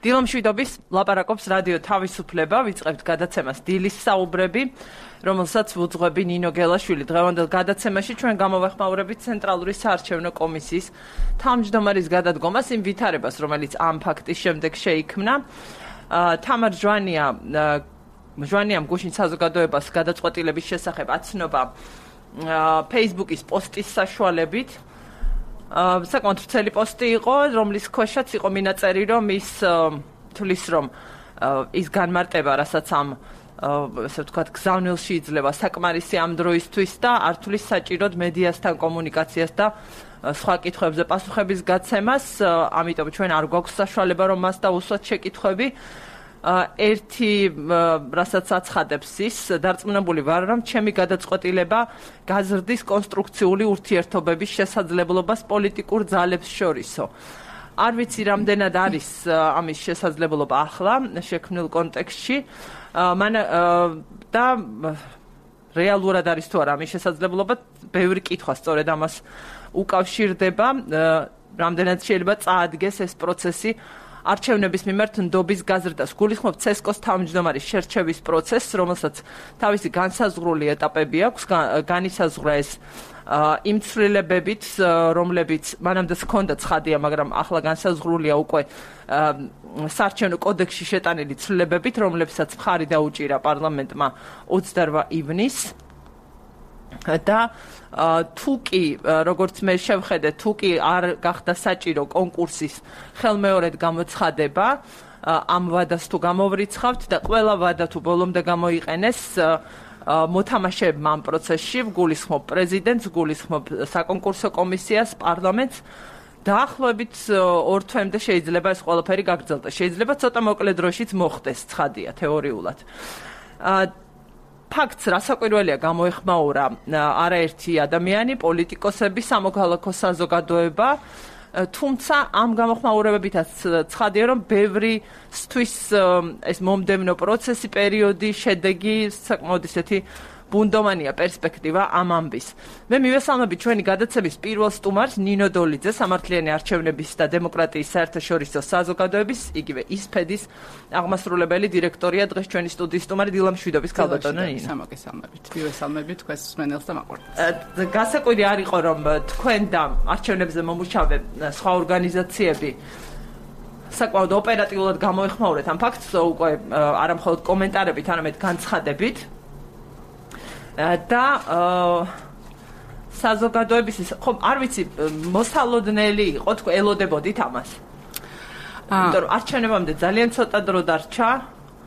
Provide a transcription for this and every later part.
დილამშვიდობის ლაპარაკობს რადიო თავისუფლება, ვიწყებთ გადაცემას დილის საუბრები, რომელსაც ვუძღვები ნინო გელაშვილი. დღევანდელ გადაცემაში ჩვენ გამოვეხმაურებით ცენტრალური საარჩევნო კომისიის თავმჯდომარის გადადგომას, იმ ვითარებას, რომელიც ამ ფაქტის შემდეგ შეიქმნა. თამარ ჟვანიამ გუშინ საზოგადოებას გადაწყვეტილების შესახებ აცნობა Facebook-ის პოსტის საშუალებით. საკმაოდ ვრცელი პოსტი იყო, რომლის ქვეშაც იყო მინაწერი, რომ ის თulis რომ ის განმარტება, რასაც ამ ესე ვთქვათ, გზავნილში იძლევა საკმარისი ამ დროისთვის და არ თulis საჭიროდ მედიასთან კომუნიკაციას და სხვა კითხვებზე პასუხების გაცემას, ამიტომ ჩვენ არ გვაქვს საშუალება, რომ მას დავუსვათ შეკითხვები. ერთი რასაც აცხადებს ის დარწმუნებული ვარ, რომ ჩემი გადაწყვეტილება გაზრდის კონსტრუქციული ურთიერთობების შესაძლებლობას პოლიტიკურ ძალებს შორისო. არ ვიცი რამდენად არის ამის შესაძლებლობა ახლა შექმნილ კონტექსტში და რეალურად არის თუ არა ამის შესაძლებლობა, ბევრი კითხვა სწორედ ამას უკავშირდება, რამდენად შეიძლება წაადგეს ეს პროცესი არჩევნების მიმართ ნდობის გაზრდას. გულისხმობ CSKO-ს თავმჯდომარის შერჩევის პროცესს, რომელსაც თავისი განსაზღვრული ეტაპები აქვს, განისაზღვრა ეს იმ ცვლილებებით, რომლებიც მანამდე ჰქონდა ცხადია, მაგრამ ახლა განსაზღვრულია უკვე საარჩევნო კოდექსში შეტანილი ცვლილებებით, რომლებსაც მხარი დაუჭირა პარლამენტმა 28 ივნისს. და თუ კი, როგორც მე შევხედე, თუ კი არ გახდა საჭირო კონკურსის ხელმეორედ გამოცხადება, ამ ვადას თუ გამოვრიცხავთ და ყველა ვადა თუ ბოლომდე გამოიყენეს მოთამაშეებმა ამ პროცესში, ვგულისხმობ პრეზიდენტს, ვგულისხმობ საკონკურსო კომისიას, პარლამენტს, დაახლოებით 2 თვემდე შეიძლება ეს ყველაფერი გაგრძელდეს. შეიძლება ცოტა მოკლე დროშიც მოხდეს, ცხადია თეორიულად. ფაქტს რასაკვირველია გამოეხმაურა არაერთი ადამიანი, პოლიტიკოსები, სამოქალაქო საზოგადოება, თუმცა ამ გამოხმაურებებითაც ცხადია, რომ ბევრისთვის ეს მომდევნო პროცესი, პერიოდი, შედეგი საკმაოდ ისეთი ბუნდოვანია პერსპექტივა ამ ამბის. მე მივესალმები ჩვენი გადაცემის პირველ სტუმარს ნინო დოლიძეს, სამართლიანი არჩევნების და დემოკრატიის საერთაშორისო საზოგადოების, იგივე ისფედის აღმასრულებელი დირექტორია, დღეს ჩვენი სტუდიის სტუმარი. დილამშვიდობის ქალბატონო ნინო. სამოგესალმებით. მივესალმებით თქვენს მსმენელს და მაყურებელს. გასაკვირი არ იყო, რომ თქვენ და არჩევნებზე მომუშავე სხვა ორგანიზაციები საკმაოდ ოპერატიულად გამოეხმაურეთ ამ ფაქტს, უკვე არა მხოლოდ კომენტარებით, არამედ განცხადებით. და საზოგადოების ხო არ ვიცი მოსალოდნელი იყო თქვენ ელოდებოდით ამას. იმიტომ რომ არჩევნებამდე ძალიან ცოტა დრო დარჩა.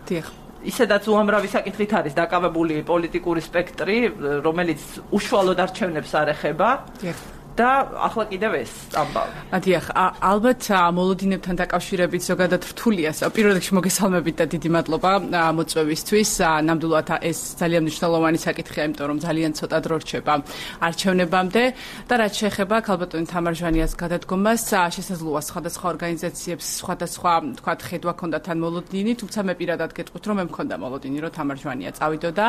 დიახ. ისედაც უამრავი საკითხით არის დაკავებული პოლიტიკური სპექტრი, რომელიც უშუალოდ არჩევნებს არ ეხება. დიახ. და ახლა კიდევ ეს ამბავი. დიახ, ალბათ მოლოდინებთან დაკავშირებით ზოგადად რთულია. პირველ რიგში მოგესალმებით და დიდი მადლობა მოწვევისთვის. ნამდვილად ეს ძალიან მნიშვნელოვანი საკითხია, იმიტომ რომ ძალიან ცოტა დრო რჩება არჩევნებამდე და რაც შეეხება ქალბატონი თამარ ჟვანიას გადადგომას, შესაძლოა სხვადასხვა ორგანიზაციებს სხვადასხვა თქვათ ხედვა ჰქონდათ თან მოლოდინი, თუმცა მე პირადად გეტყვით, რომ მე მქონდა მოლოდინი, რომ თამარ ჟვანია წავიდოდა.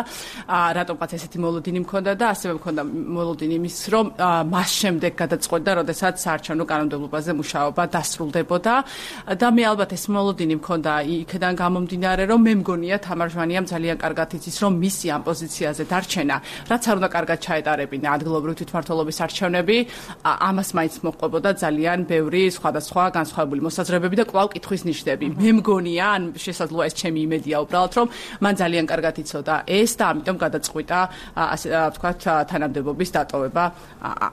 რატომღაც ესეთი მოლოდინი მქონდა და ასევე მქონდა მოლოდინი იმის, რომ მას შემდეგ გადაწყვეტდა, როდესაც საარჩევნო კანონმდებლობაზე მუშაობა დასრულდებოდა და მე ალბათ ეს მოლოდინი მქონდა იქიდან გამომდინარე, რომ მე მგონია თამარ ჟვანიამ ძალიან კარგად იცის, რომ მისი ამ პოზიციაზე დარჩენა, რაც არ უნდა კარგად ჩაეტარებინა ადგილობრივი თვითმმართველობის არჩევნები, ამას მაინც მოჰყვებოდა ძალიან ბევრი სხვადასხვა განსხვავებული მოსაზრებები და კვლავ კითხვის ნიშნები. მე მგონია, ან შესაძლოა ეს ჩემი იმედია უბრალოდ, რომ მან ძალიან კარგად იცოდა ეს და ამიტომ გადაწყვიტა, ასე ვთქვათ, თანამდებობის დატოვება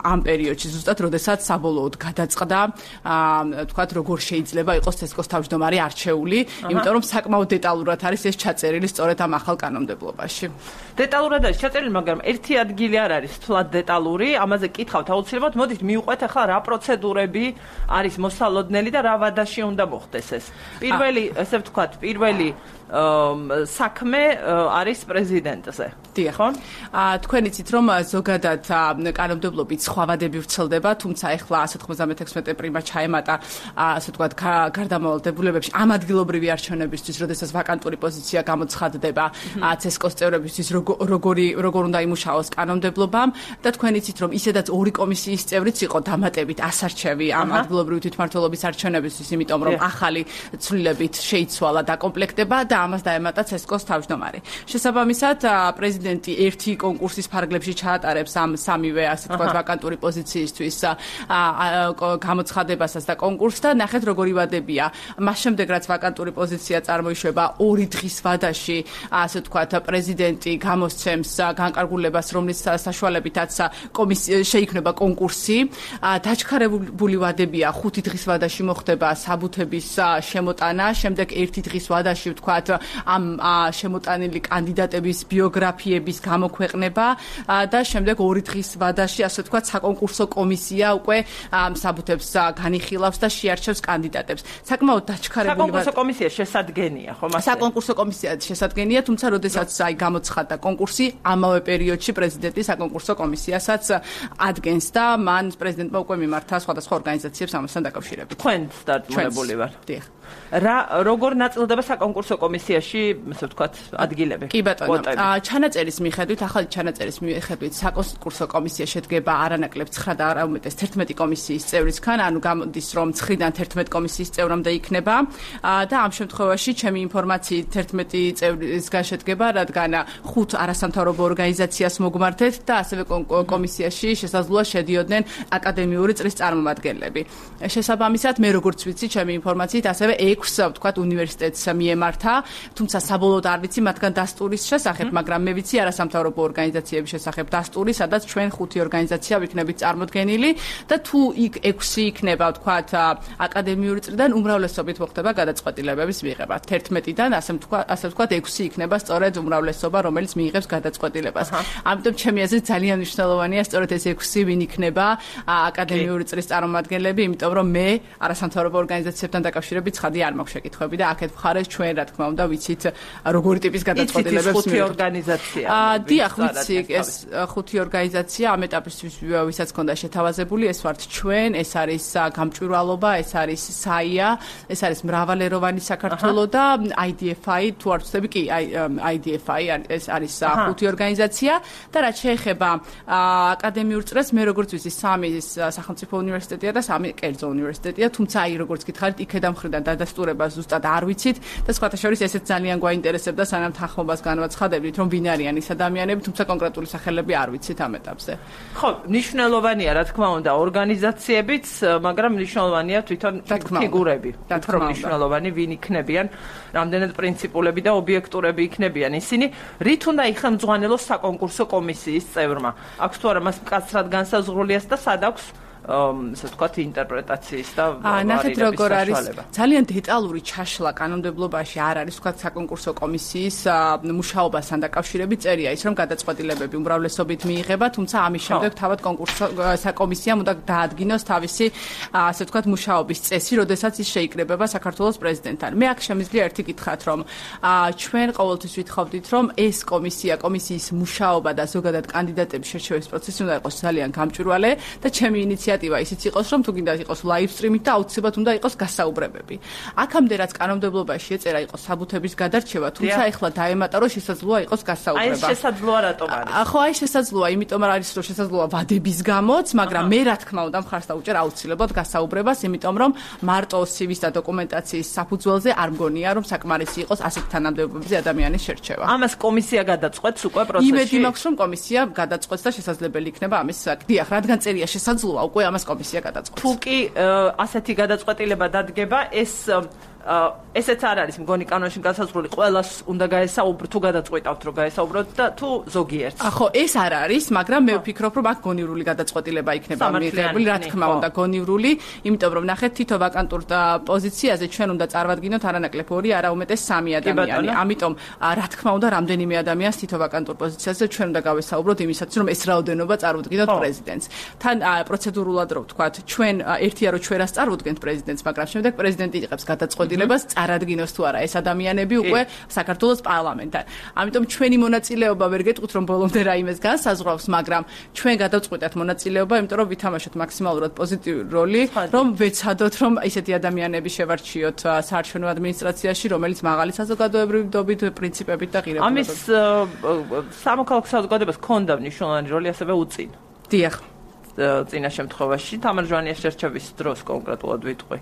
ამ პერიოდში. ზუსტად როდესაც საბოლოოდ გადაწყდა, თქვათ, როგორ შეიძლება იყოს CSKO-ს თავმჯდომარე არჩეული, იმიტომ რომ საკმაოდ დეტალურად არის ეს ჩაწერილი სწორედ ამ ახალ კანონმდებლობაში. დეტალურად არის ჩაწერილი, მაგრამ ერთი ადგილი არ არის თლად დეტალური, ამაზე კითხავთ აუცილებლად. მოდით მივყვეთ ახლა რა პროცედურები არის მოსალოდნელი და რა ვადაში უნდა მოხდეს ეს. პირველი, ესე ვთქვათ, პირველი საქმე არის პრეზიდენტზე. დიახ. თქვენ იცით რომ ზოგადად კანონმდებლობით სხვა ვადები ვრცელდება, თუმცა ახლა 196 პრიმა ჩაემატა ასე ვთქვათ გარდამავალ დებულებებში ამ ადგილობრივი არჩევნებისთვის, როდესაც ვაკანტური პოზიცია გამოცხადდება CESCO-ს წევრებისთვის როგორ უნდა იმუშაოს კანონმდებლობამ და თქვენ იცით რომ ისედაც ორი კომისიის წევრიც იყო დამატებით ასარჩევი ამ ადგილობრივი თვითმმართველობის არჩევნებისთვის, იმიტომ რომ ახალი ცვლილებით შეიცვალა დაკომპლექტება და ამას დაემატა CESCO-ს თავმჯდომარე. შესაბამისად პრეზიდენტი ერთი კონკურსის ფარგლებში ჩაატარებს ამ სამივე ასე ვთქვათ ვაკანტური პოზიციისთვის გამოცხადებასაც და კონკურსს და ნახეთ როგორი ვადებია. მას შემდეგ რაც ვაკანტური პოზიცია წარმოიშვება ორი დღის ვადაში ასე ვთქვათ პრეზიდენტი გამოსცემს განკარგულებას, რომლის საშუალებითაც შეიქმნება კონკურსი. დაჩქარებული ვადებია 5 დღის ვადაში მოხდება საბუთების შემოტანა, შემდეგ 1 დღის ვადაში ვთქვათ ამ შემოტანილი კანდიდატების ბიოგრაფიების გამოქვეყნება და შემდეგ 2 დღის ვადაში ასე ვთქვათ საკონკურსო კომისია უკვე საბუთებს განიხილავს და შეარჩევს კანდიდატებს. საკმაოდ დაჩქარებული საკონკურსო კომისია შესადგენია, ხო მასე? საკონკურსო კომისია შესადგენია, თუმცა როდესაც გამოცხადდა კონკურსი, ამავე პერიოდში პრეზიდენტი საკონკურსო კომისიასაც ადგენს და მან პრეზიდენტმა უკვე მიმართა სხვადასხვა ორგანიზაციებს ამასთან დაკავშირებით. თქვენ დარწმუნებული ვარ. დიახ. როგორ ნაწილდება საკონკურსო კომისიაში, ასე ვთქვათ, ადგილები? კი ბატონო. ჩანაწერის მიხედვით, ახალი ჩანაწერის მიხედვით საკონკურსო კომისია შედგება არანაკლებ 9 და არა უმეტეს 11 კომისიის წევრისგან, ანუ გამოდის რომ 9-დან 11 კომისიის წევრამდე იქნება და ამ შემთხვევაში ჩემი ინფორმაციით 11 წევრისგან შედგება, რადგან 5 არასამთავრობო ორგანიზაციას მოგმართეთ და ასევე კომისიაში შესაძლოა შედიოდნენ აკადემიური წრის წარმომადგენლები. შესაბამისად, მე როგორც ვიცი, ჩემი ინფორმაციით ასევე 6 ვთქვათ უნივერსიტეტს მიემართა, თუმცა საბოლოოდ არ ვიცი მათგან დასტურის შესახებ, მაგრამ მე ვიცი არასამთავრობო ორგანიზაციების შესახებ დასტური, სადაც ჩვენ 5 ორგანიზაცია ვიქნებით წარმოდგენილი და თუ იქ 6 იქნება ვთქვათ აკადემიური წრიდან უმრავლესობით მოხდება გადაწყვეტილებების მიღება. 11-დან ასე ვთქვათ 6 იქნება სწორედ უმრავლესობა, რომელიც მიიღებს გადაწყვეტილებას. ამიტომ ჩემი აზრით ძალიან მნიშვნელოვანია სწორედ ეს 6 ვინ იქნება აკადემიური წრის წარმომადგენლები, იმიტომ რომ მე არასამთავრობო ორგანიზაციებთან დაკავშირებით ცხადი არ მაქვს შეკითხვები და აქეთ მხარეს ჩვენ რა თქმა უნდა ვიცით როგორი ტიპის გადაწყვეტილებებს მიიღებს. 5 ორგანიზაცია. დიახ, ვიცი, ეს 5 ორგანიზაცია ამ ეტაპისთვის ვისაც ქონდა შეთავაზებული, ეს ვართ ჩვენ, ეს არის გამჭვირვალობა, ეს არის საია, ეს არის მრავალეროვანი საქართველო და IDFI, თუ არ ვცდები, კი, IDFI ეს არის 5 ორგანიზაცია და რაც შეეხება აკადემიურ წრეს, მე როგორც ვიცი, 3 სახელმწიფო უნივერსიტეტია და 3 კერძო უნივერსიტეტია, თუმცა აი როგორც გითხარით, იქედან მხრიდან დადასტურება ზუსტად არ ვიცით და სხვათა შორის ესეც ძალიან გვაინტერესებდა, სანამ თანხმობას განვაცხადებდით, რომ ვინ არიან ის ადამიანები, თუმცა კონკრეტული სახელები არ ვიცით ამ ეტაპზე. ხო, მნიშვნელოვანია, რა თქმა უნდა, ორგანიზაციებიც, მაგრამ მნიშვნელოვანია თვითონ ფიგურები. უფრო მნიშვნელოვანი ვინ იქნებიან, რამდენად პრინციპულები და ობიექტურები იქნებიან ისინი, რით უნდა იხელმძღვანელოს საკონკურსო კომისიის წევრმა. აქვს თუ არა მას მკაცრად განსაზღვრულიას და სად აქვს ასე ვთქვათ ინტერპრეტაციის და ნახეთ როგორ არის ძალიან დეტალური ჩაშლა კანონმდებლობაში არ არის ვთქვათ საკონკურსო კომისიის მუშაობასთან დაკავშირებით წერია ის რომ გადაწყვეტილებები უმრავლესობით მიიღება, თუმცა ამის შემდეგ თავად საკომისიამ უნდა დაადგინოს თავისი ასე ვთქვათ მუშაობის წესი, როდესაც ის შეიკრიბება საქართველოს პრეზიდენტთან. მე აქ შემიძლია ერთი კითხვათ, რომ ჩვენ ყოველთვის ვითხოვდით, რომ ეს კომისიის მუშაობა და ზოგადად კანდიდატების შერჩევის პროცესი უნდა იყოს ძალიან გამჭვირვალე და ჩემი ინიციატივა ისიც იყოს, რომ თუ გინდა იყოს ლაივ სტრიმით და აუცილებლად უნდა იყოს გასაუბრებები. აქამდე რაც კანონმდებლობაში ეწერა იყო საბუთების გადარჩევა, თუმცა ეხლა დაემატა, რომ შესაძლოა იყოს გასაუბრება. აი შესაძლოა რატომ არის? ხო, აი შესაძლოა, იმიტომ არის, რომ შესაძლოა ვადების გამოც, მაგრამ მე რა თქმა უნდა მხარს დავუჭერ აუცილებლად გასაუბრებას, იმიტომ რომ მარტო CV-ს და დოკუმენტაციის საფუძველზე არ მგონია, რომ საკმარისი იყოს ასეთ თანამდებობებზე ადამიანის შერჩევა. ამას კომისია გადაწყვეტს უკვე პროცესში. იმედი მაქვს, რომ კომისია გადაწყვეტს და შესაძლებელი იქნება ამის დიახ, რადგან წერია შესაძლოა უკვე ამას კომისია გადაწყვეტს. თუ კი ასეთი გადაწყვეტილება დადგება, ესეც არ არის მგონი კანონში განსაზღვრული, ყველას უნდა გაესაუბრო, თუ გადაწყვეტავთ, რომ გაესაუბროთ და თუ ზოგიერთს. ხო, ეს არ არის, მაგრამ მე ვფიქრობ, რომ აქ გონივრული გადაწყვეტილება იქნება მიღებული, რა თქმა უნდა, გონივრული, იმიტომ რომ ნახეთ, თითო ვაკანტურ პოზიციაზე ჩვენ უნდა წარმოვადგინოთ არანაკლებ 2, არა უმეტეს 3 ადამიანი. ამიტომ, რა თქმა უნდა, რამდენიმე ადამიანს თითო ვაკანტურ პოზიციაზე ჩვენ უნდა გავესაუბროთ იმისათვის, რომ ეს რაოდენობა წარმოვადგინოთ პრეზიდენტს. თან პროცედურულად რო ვთქვათ, ჩვენ ერთია რომ ჩვენ რას წარმოვდგენთ პრეზიდენტს, მაგრამ შემდეგ პრეზიდენტი იღებს გადაწყვეტილებას გადაწყვეტილებას წარადგინოს თუ არა ეს ადამიანები უკვე საქართველოს პარლამენტთან. ამიტომ ჩვენი მონაწილეობა ვერ გეტყვით რომ ბოლომდე რაიმეს განსაზღვრავს, მაგრამ ჩვენ გადავწყვიტეთ მონაწილეობა, იმიტომ რომ ვითამაშოთ მაქსიმალურად პოზიტიური როლი, რომ ვეცადოთ რომ ისეთი ადამიანები შევარჩიოთ საარჩევნო ადმინისტრაციაში, რომელიც მაღალი საზოგადოებრივი პრინციპებით და ღირებულებებით. ამის სამოქალაქო საზოგადოებას ჰქონდა მნიშვნელოვანი როლი ასევე უწინ. დიახ. წინა შემთხვევაში თამარ ჟვანიას შერჩევის დროს კონკრეტულად ვიტყვი.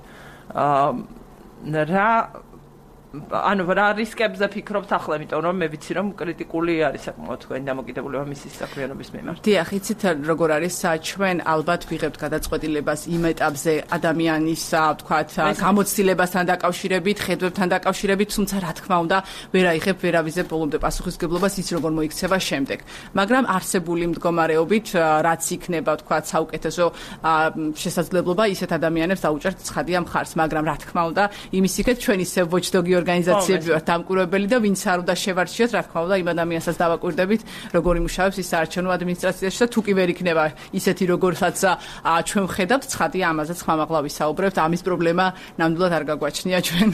რა რისკებზე ფიქრობთ ახლა, იმიტომ რომ მე ვიცი რომ კრიტიკული არის საკმაოდ თქვენი დამოკიდებულება მისის საქმიანობის მიმართ. დიახ, იცით როგორ არის, ჩვენ ალბათ ვიღებთ გადაწყვეტილებას იმ ეტაპზე ადამიანის, ვთქვათ, გამოცდილებასთან დაკავშირებით, ხედვებთან დაკავშირებით, თუმცა რა თქმა უნდა, ვერ აიღებ, ვერ ავიზებ ბოლომდე პასუხისგებლობას ის როგორ მოიქცევა შემდეგ. მაგრამ არსებული მდგომარეობით, რაც იქნება, ვთქვათ, საუკეთესო შესაძლებლობა ისეთ ადამიანებს დაუჭერთ ცხადია მხარს, მაგრამ რა თქმა უნდა, იმის იქეთ ჩვენ ისევ watchdog ორგანიზაციები ვართ დამკვირვებელი და ვინც არ უნდა შევარჩიოთ, რა თქმა უნდა, იმ ადამიანსაც დავაკვირდებით, როგორ იმუშავებს ის საარჩევნო ადმინისტრაციაში და თუ კი ვერ იქნება ისეთი, როგორსაც ჩვენ ვხედავთ, ცხადია ამაზეც ხმამაღლა ვისაუბრებთ, ამის პრობლემა ნამდვილად არ გაგვაჩნია ჩვენ.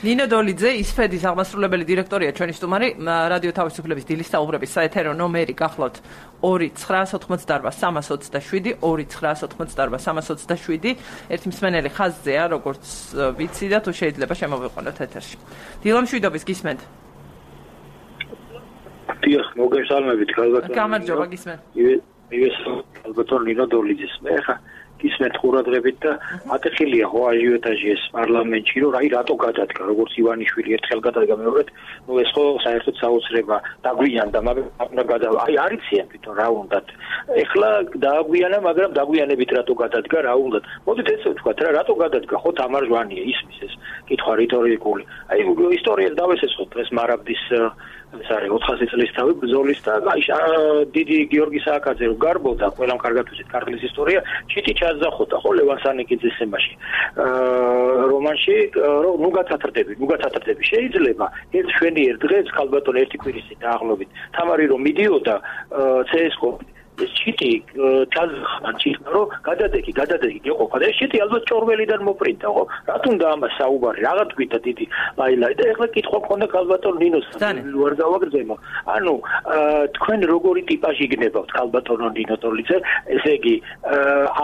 ნინო დოლიძე, ისფედის აღმასრულებელი დირექტორია, ჩვენი სტუმარი, რადიო თავისუფლების დილის საუბრების საეთერო ნომერი გახლავთ 2-988-327, 2-988-327, ერთი მსმენელი ხაზზეა, როგორც ვიცი და თუ შეიძლება შემოვიყვანოთ ეთერში. დილა მშვიდობის გისმენთ. დიახ, მოგესალმებით, გალბატონი. გამარჯობა, გისმენთ. ალბათონ ნინო დოლიძის მე ხა გისმენთ ყურადღებით და ატეხილია ხო აჟიოტაჟი ეს პარლამენტში, რომ რატო გადადგა, როგორც ივანიშვილი ერთხელ გადადგა მეორედ, ეს ხო საერთოდ საოცრება დაგვიანდა, მაგრამ არიციან თვითონ რა უნდათ. ეხლა დააგვიანა, მაგრამ დაგვიანებით რატო გადადგა, რა უნდათ. მოდით ესე ვთქვათ რა, რატო გადადგა ხო თამარ ჟვანია, ისმის ეს კითხვა რიტორიკული. ისტორიას დავესესხოთ ეს მარაბდის ეს არის 400 წლის თავი ბრძოლის და დიდი გიორგი სააკაძე რო გარბოდა, ყველამ კარგად ვიცით ქართლის ისტორია, ჩიტი ჩაძახოდა ხო ლევან სანიკიძის თემაში. რომანში რომ ნუ გათათრდები შეიძლება ეს შვენი ერთ დღეს ქალბატონ ერთი კვირის დაახლოებით თამარი რომ მიდიოდა CS:GO ეს ჩიტი ჩაძახა რომ გადადეგი გეყოფა და ეს ჩიტი ალბათ ჭორველიდან მოპრინტა ხო რატომ და ამას საუბარი რაღა თქვით დიდი ლაილაი და ეხლა კითხვა მქონდა ქალბატონ ნინოს ვარ გავაგრძელო ანუ თქვენ როგორი ტიპაჟი გნებავთ ქალბატონო ნინო დოლიძე ესე იგი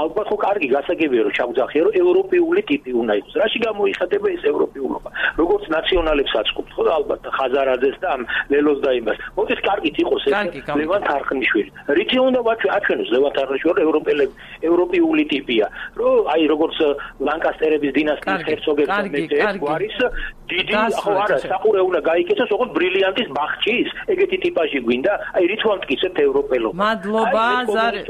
ალბათ ხო კარგი გასაგებია რომ ჩავძახია რომ ევროპული ტიპი უნდა იყოს რაში გამოიხატება ეს ევროპულობა როგორც ნაციონალებს აწყობთ ხო ალბათ ხაზარაძეს და ამ ლელოს და იმას მოდით კარგით იყოს ეს ლევან თარხნიშვილი რითი უნდა აჩვენოს ლევან თარხნიშვილი ევროპული ტიპია რომ აი როგორც ლანკასტერების დინასტიის ჰერცოგებს მეცეს გვარის დიდი ხო არა საყურე უნდა გაიქეცოს ოღონდ ბრილიანტის ბახჩის ეგეთი ტიპაჟი გვინდა აი რით ვამტკიცებთ ევროპელობა მადლობა ზარე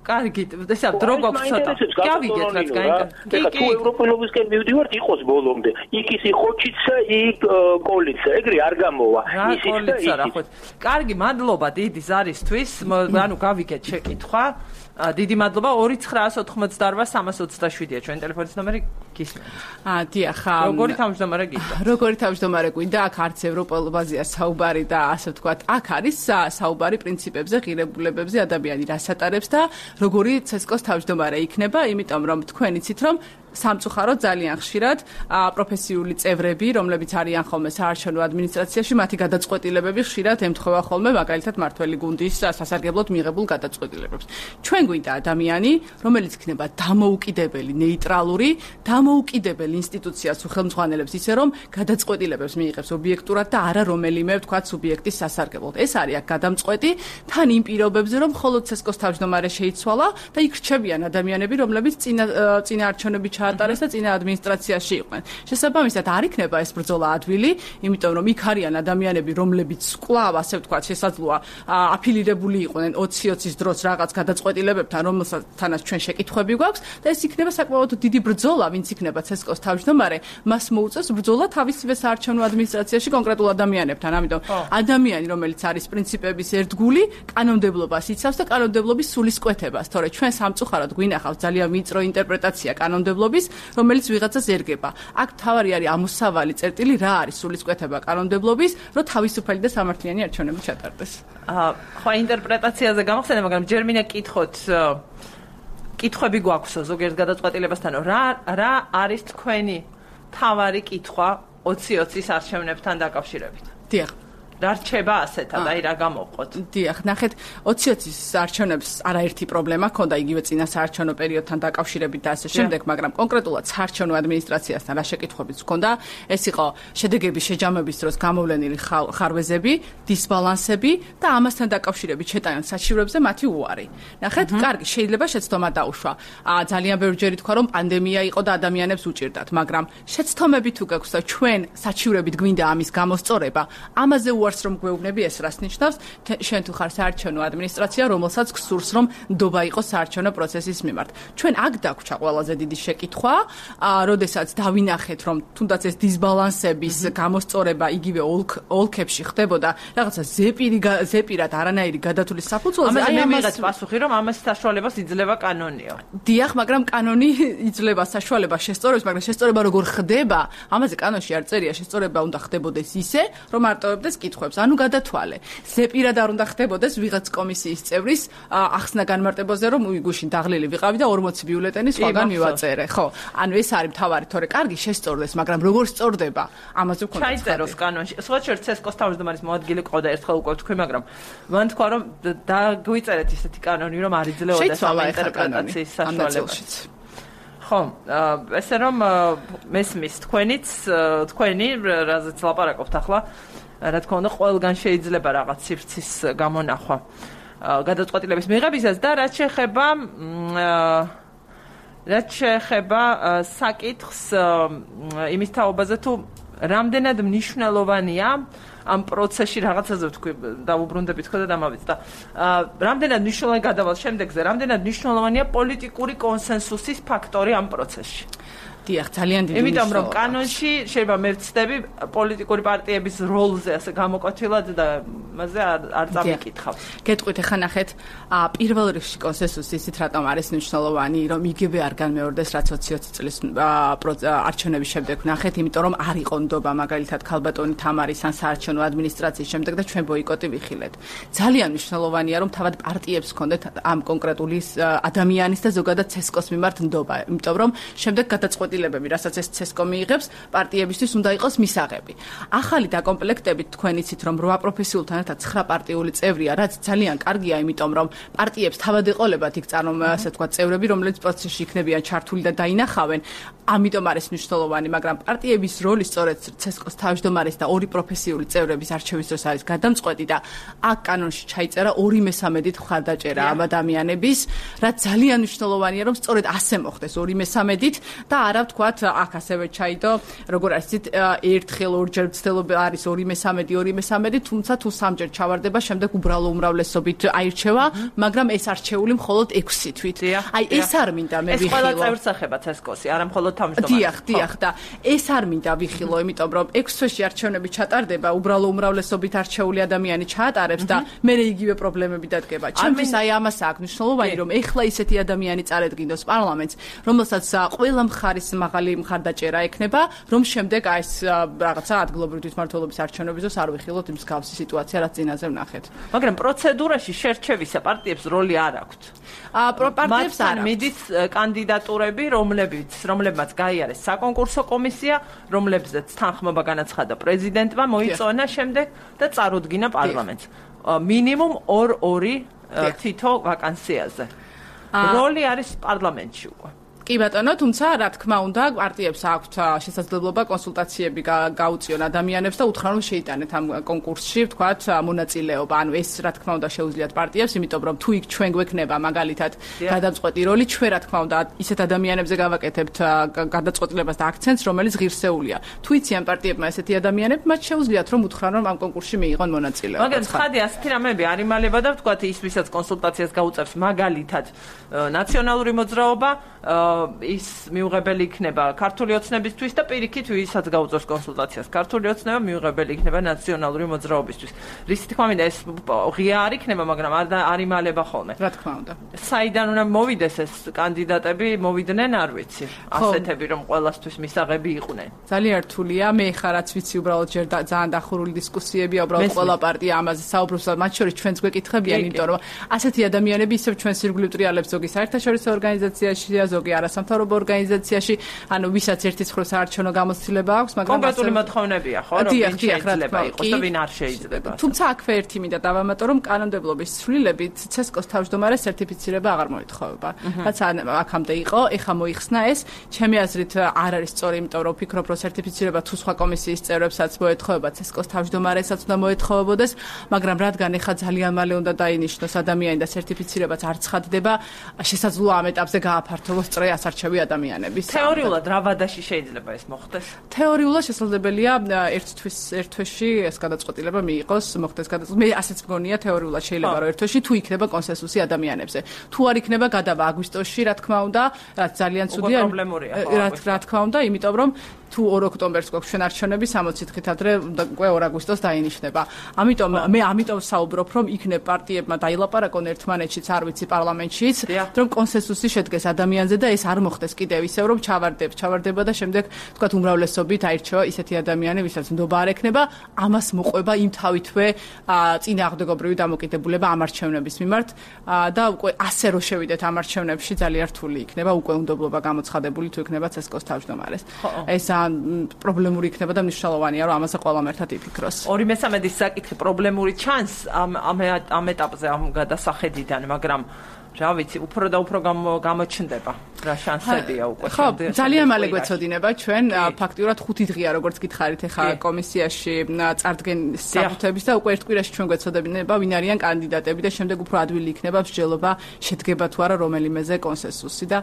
კარგი ესა დრო გვაქვს ცოტა გავიგეთ რაც გაიგეთ ეხლა თუ ევროპელობისკენ მივდივართ იყოს ბოლომდე იქ ის ხოჩიცა იქ კოლიცა ეგრე არ გამოვა ისიც და ისიც კარგი მადლობა დიდი ზარისთვის ანუ გავიგეთ შეკითხვა დიდი მადლობა 2-988-327-ია ჩვენი ტელეფონის ნომერი გისმენთ. დიახ. როგორი თავმჯდომარე გინდა? როგორი თავმჯდომარე გვინდა? აქ არც ევროპელობაზეა საუბარი და ასე ვთქვათ, აქ არის საუბარი პრინციპებზე, ღირებულებებზე, ადამიანი რას ატარებს და როგორი CS:GO-ს თავმჯდომარე იქნება, იმიტომ რომ თქვენ იცით რომ სამწუხაროდ ძალიან ხშირად პროფესიული წევრები, რომლებიც არიან ხოლმე საარჩევნო ადმინისტრაციაში, მათი გადაწყვეტილებები ხშირად ემთხვევა ხოლმე მაგალითად მართველი გუნდის სასარგებლოდ მიღებულ გადაწყვეტილებებს. ჩვენ გვინდა ადამიანი, რომელიც იქნება დამოუკიდებელი, ნეიტრალური, დამოუკიდებელი ინსტიტუციას უხელმძღვანელებს ისე რომ გადაწყვეტილებებს მიიღებს ობიექტურად და არა რომელიმე ვთქვათ სუბიექტის სასარგებლოდ. ეს არის აქ გადამწყვეტი თან იმ პირობებზე, რომ მხოლოდ CS:GO-ს თავმჯდომარე შეიცვალა და იქ რჩებიან ადამიანები, რომლებიც წინა არჩევნები ჩაატარეს და წინა ადმინისტრაციაში იყვნენ. შესაბამისად არ იქნება ეს ბრძოლა ადვილი, იმიტომ რომ იქ არიან ადამიანები, რომლებიც კვლავ ასე ვთქვათ, შესაძლოა აფილირებული იყვნენ 20-20-ის დროს რაღაც გადაწყვეტილებებთან, რომელთანაც ჩვენ შეკითხვები გვაქვს და ეს იქნება საკმაოდ დიდი ბრძოლა, ვინც იქნება CS:GO-ს თავმჯდომარე, მას მოუწევს ბრძოლა თავისივე საარჩევნო ადმინისტრაციაში კონკრეტულ ადამიანებთან. ამიტომ ადამიანი, რომელიც არის პრინციპების ერთგული, კანონმდებლობას იცავს და კანონმდებლობის სულისკვეთებას, თორე ჩვენ სამწუხაროდ გვინახავს ძალიან ვიწრო ინტერპრეტაცია კანონმდებლობის, რომელიც ვიღაცას ერგება. აქ თავარი არის ამოსავალი წერტილი, რა არის სულისკვეთება კანონმდებლობის, რომ თავისუფალი და სამართლიანი არჩევნები ჩატარდეს. ხო, ინტერპრეტაციაზე გამახსენე, მაგრამ ჯერ მინდა კითხოთ, კითხვები გვაქვსო ზოგიერთ გადაწყვეტილებასთან, რა არის თქვენი თავარი კითხვა 2020-ის არჩევნებთან დაკავშირებით. დიახ. რა რჩება ასეთად, აი რა გამოვყოთ. დიახ, ნახეთ, 2020-ის არჩევნებს არაერთი პრობლემა ჰქონდა იგივე წინა საარჩევნო პერიოდთან დაკავშირებით და ასე შემდეგ, მაგრამ კონკრეტულად საარჩევნო ადმინისტრაციასთან რა შეკითხვებიც ჰქონდა, ეს იყო შედეგების შეჯამების დროს გამოვლენილი ხარვეზები, დისბალანსები და ამასთან დაკავშირებით შეტანილ საჩივრებზე მათი უარი. ნახეთ, კარგი, შეიძლება შეცდომა დაუშვა. ძალიან ბევრჯერ ითქვა, რომ პანდემია იყო და ადამიანებს უჭირდათ, მაგრამ შეცდომები თუ გაქვს და ჩვენ საჩივრებით გვინდა ამის გამოსწორება, ამაზე რომ გვეუბნები ეს რას ნიშნავს შენ თუ ხარ საარჩევნო ადმინისტრაცია რომელსაც გსურს რომ ნდობა იყოს საარჩევნო პროცესის მიმართ ჩვენ აქ დაგვჭა ყველაზე დიდი შეკითხვა როდესაც დავინახეთ რომ თუნდაც ეს დისბალანსების გამოსწორება იგივე ოლქებში ხდებოდა რაღაცა ზეპირად არანაირი გადათვლის საფუძველზე აი ამას პასუხი რომ ამას საშუალებას იძლევა კანონიო დიახ მაგრამ კანონი იძლევა საშუალებას შესწორებს მაგრამ შესწორება როგორ ხდება ამაზე კანონში არ წერია შესწორება უნდა ხდებოდეს ისე რომ არტოვებდეს ანუ გადათვალე. ზეპირად არ უნდა ხდებოდეს ვიღაც კომისიის წევრის ახსნა განმარტებაზე, რომ უიგუშინ დაღლილი ვიყავი და 40 ბიულეტენი სხვაგან მივაწერე. ხო, ანუ ეს არის თავარი, თორე კარგი შესწორდეს, მაგრამ როგორ სწორდება? ამაზე ვქონდა. ჩაიწეროს კანონში. სხვა შერც ეს თავმჯდომარის მოადგილე ყავდა ერთხელ უკვე თქვი, მაგრამ მან თქვა, რომ დაგვიწერეთ ისეთი კანონი, რომ არ იძლეოდა საინტერპრეტაციის საშუალებაც. ხო, ესე რომ მესმის თქვენი რაზეც ლაპარაკობთ ახლა რა თქმა უნდა, ყველგან შეიძლება რაღაც სივრცის გამონახვა გადაწყვეტილების მიღებისას და რაც შეეხება საკითხს იმის თაობაზე თუ რამდენად მნიშვნელოვანია ამ პროცესში რაღაცაზე ვთქვი დაუბრუნდებით ხო და დამავიწყდა და რამდენად მნიშვნელოვანი გადავალ შემდეგზე რამდენად მნიშვნელოვანია პოლიტიკური კონსენსუსის ფაქტორი ამ პროცესში დიახ, ძალიან დიდი იმიტომ რომ კანონში შეიძლება მე ვცდები პოლიტიკური პარტიების როლზე ასე გამოკვეთილად და მასზე არ წამიკითხავ. გეტყვით ახლა ნახეთ, პირველ რიგში კონსენსუსი ისიც რატომ არის მნიშვნელოვანი, რომ იგივე არ განმეორდეს რაც 2020 წლის არჩევნების შემდეგ ნახეთ, იმიტომ რომ არ იყო ნდობა მაგალითად ქალბატონი თამარის ან საარჩევნო ადმინისტრაციის შემდეგ და ჩვენ ბოიკოტი ვიხილეთ. ძალიან მნიშვნელოვანია რომ თავად პარტიებს ჰქონდეთ ამ კონკრეტული ადამიანის და ზოგადად ცესკოს მიმართ ნდობა, იმიტომ რომ შემდეგ გადაწყვეტილებები, რასაც ეს ცესკო მიიღებს, პარტიებისთვის უნდა იყოს მისაღები. ახალი დაკომპლექტებით თქვენ იცით, რომ 8 პროფესიულთან ერთად 9 პარტიული წევრია, რაც ძალიან კარგია, იმიტომ რომ პარტიებს თავად ეყოლებათ იქ ასე თქვა წევრები, რომლებიც პროცესში იქნებიან ჩართული და დაინახავენ. ამიტომ არის მნიშვნელოვანი, მაგრამ პარტიების როლი სწორედ ცესკოს თავმჯდომარის და 2 პროფესიული წევრების არჩევის დროს არის გადამწყვეტი და აქ კანონში ჩაიწერა 2/3-ით მხარდაჭერა ამ ადამიანების, რაც ძალიან მნიშვნელოვანია, რომ სწორედ ასე მოხდეს 2/3-ით და არა ვთქვათ, აქ ასევე ჩაიდო, როგორ არის იცით, ერთხელ ორჯერ ცდელობა არის 2/3, თუმცა თუ 3ჯერ ჩავარდება, შემდეგ უბრალო უმრავლესობით აირჩევა, მაგრამ ეს არჩეული მხოლოდ 6 თვით. აი ეს არ მინდა მე ვიხილო. ეს ყველა წევრს ეხება ცესკოსი, არა მხოლოდ თავმჯდომარეს. დიახ და ეს არ მინდა ვიხილო, იმიტომ რომ 6 თვეში არჩევნები ჩატარდება, უბრალო უმრავლესობით არჩეული ადამიანი ჩაატარებს და მე იგივე პრობლემები დადგება. ჩემთვის აი ამას აქვს მნიშვნელოვანი, რომ ეხლა ისეთი ადამიანი წარედგინოს პარლამენტს, რომელსაც ყველა მხარის მაღალი მხარდაჭერა ექნება, რომ შემდეგ აი ეს რაღაცა ადგილობრივი თვითმმართველობის არჩევნების დროს არ ვიხილოთ იმ მსგავსი სიტუაცია, რაც წინაზე ვნახეთ. მაგრამ პროცედურაში შერჩევისა პარტიებს როლი არ აქვთ. პარტიებს არ მიდით კანდიდატურები, რომლებმაც გაიარეს საკონკურსო კომისია, რომლებზეც თანხმობა განაცხადა პრეზიდენტმა, მოიწონა შემდეგ და წარუდგინა პარლამენტს. მინიმუმ 2 თითო ვაკანსიაზე. როლი არის პარლამენტში უკვე. კი ბატონო, თუმცა რა თქმა უნდა, პარტიებს აქვთ შესაძლებლობა კონსულტაციები გაუწიონ ადამიანებს და უთხრან რომ შეიტანეთ ამ კონკურსში, ვთქვათ, მონაწილეობა. ანუ ეს რა თქმა უნდა შეუძლიათ პარტიებს, იმიტომ რომ თუ იქ ჩვენ გვექნება მაგალითად გადამწყვეტი როლი, ჩვენ რა თქმა უნდა ისეთ ადამიანებზე გავაკეთებთ გადაწყვეტილებას და აქცენტს, რომელიც ღირსეულია. თუ იციან პარტიებმა ესეთი ადამიანები, მათ შეუძლიათ რომ უთხრან რომ ამ კონკურსში მიიღონ მონაწილეობა. მაგრამ ხადი ასეთი რამეები არ იმალება და ვთქვათ, ის ვისაც კონსულტაციას გაუწევს მაგალითად ნაციონალური მოძრაობა ის მიუღებელი იქნება ქართული ოცნებისთვის და პირიქით ვისაც გაუწევს კონსულტაციას ქართული ოცნება მიუღებელი იქნება ნაციონალური მოძრაობისთვის. რისი თქმა მინდა ეს ღია არ იქნება, მაგრამ არ იმალება ხოლმე. რა თქმა უნდა. საიდან უნდა მოვიდეს ეს კანდიდატები, მოვიდნენ არ ვიცი. ასეთები რომ ყველასთვის მისაღები იყვნენ. ძალიან რთულია. მე ხარ რაც ვიცი, უბრალოდ ჯერ ძალიან დახურული დისკუსიებია, უბრალოდ ყველა პარტია ამაზე საუბრობს და მათ შორის ჩვენც გვეკითხებიან, იმიტომ რომ ასეთი ადამიანები ისევ ჩვენს ირგვლივ ტრიალებს ზოგი საერთაშორისო ორგანიზაციაში, ზოგი არასამთავრობო ორგანიზაციაში, ანუ ვისაც ერთის მხრივ საარჩევნო გამოცდილება აქვს, მაგრამ კონკრეტული მოთხოვნებია, ხო, რომ ვინ შეიძლება იყოს და ვინ არ შეიძლება. თუმცა აქვე ერთი მინდა დავამატო, რომ კანონმდებლობის ცვლილებით CESCO-ს თავმჯდომარეს სერტიფიცირება აღარ მოითხოვება. რაც აქამდე იყო, ეხა მოიხსნა ეს. ჩემი აზრით არ არის სწორი, იმიტომ რომ ვფიქრობ, რომ სერტიფიცირება თუ სხვა კომისიის წევრებსაც მოეთხოვება, CESCO-ს თავმჯდომარესაც უნდა მოეთხოვებოდეს, მაგრამ რადგან ეხა ძალიან მალე უნდა დაინიშნოს ადამიანი და სერტიფიცირებაც არ ცხადდება, შესაძლოა ამ ეტაპზე გააფართოვოს წრე ასარჩევი ადამიანების. თეორიულად რა ვადაში შეიძლება ეს მოხდეს? თეორიულად შესაძლებელია ერთ თვეში ეს გადაწყვეტილება მიიღოს, მოხდეს გადაწყვეტილება. მე ასეც მგონია თეორიულად შეიძლება რომ ერთ თვეში თუ იქნება კონსენსუსი ადამიანებზე. თუ არ იქნება გადავა აგვისტოში, რა თქმა უნდა, რაც ძალიან ცუდია. რა თქმა უნდა, იმიტომ რომ თუ 2 ოქტომბერს გვაქვს ჩვენ არჩევნები 60 დღით ადრე უკვე 2 აგვისტოს დაინიშნება. ამიტომ მე საუბრობ, რომ იქნებ პარტიებმა დაილაპარაკონ ერთმანეთშიც, არ ვიცი, პარლამენტშიც, რომ კონსენსუსი შედგეს ადამიანზე და ეს არ მოხდეს კიდევ ისევ, რომ ჩავარდება და შემდეგ თქვათ უმრავლესობით აირჩევა ისეთი ადამიანი, ვისაც ნდობა არ ექნება, ამას მოყვება იმ თავითვე წინააღმდეგობრივი დამოკიდებულება ამ არჩევნების მიმართ და უკვე ასე რო შევიდეთ ამ არჩევნებში ძალიან რთული იქნება უკვე უნდობლობა გამოცხადებული თუ იქნება CESCO-ს თავმჯდომარეს. ეს პრობლემური იქნება და მნიშვნელოვანია რომ ამაზე ყველამ ერთად იფიქროს. 2/3 საკითხი პრობლემური ჩანს ამ ეტაპზე ამ გადასახედიდან, მაგრამ რა ვიცი, უფრო და უფრო გამოჩნდება. რა შანსებია უკვე შემდეგ. ძალიან მალე გვეცოდინება ჩვენ ფაქტიურად 5 დღეა როგორც გითხარით ახლა კომისიაში წარდგენის საფუძვლების და უკვე ერთ კვირაში ჩვენ გვეცოდებინება ვინ არიან კანდიდატები და შემდეგ უფრო ადვილი იქნება მსჯელობა შედგება თუ არა რომელიმეზე კონსენსუსი და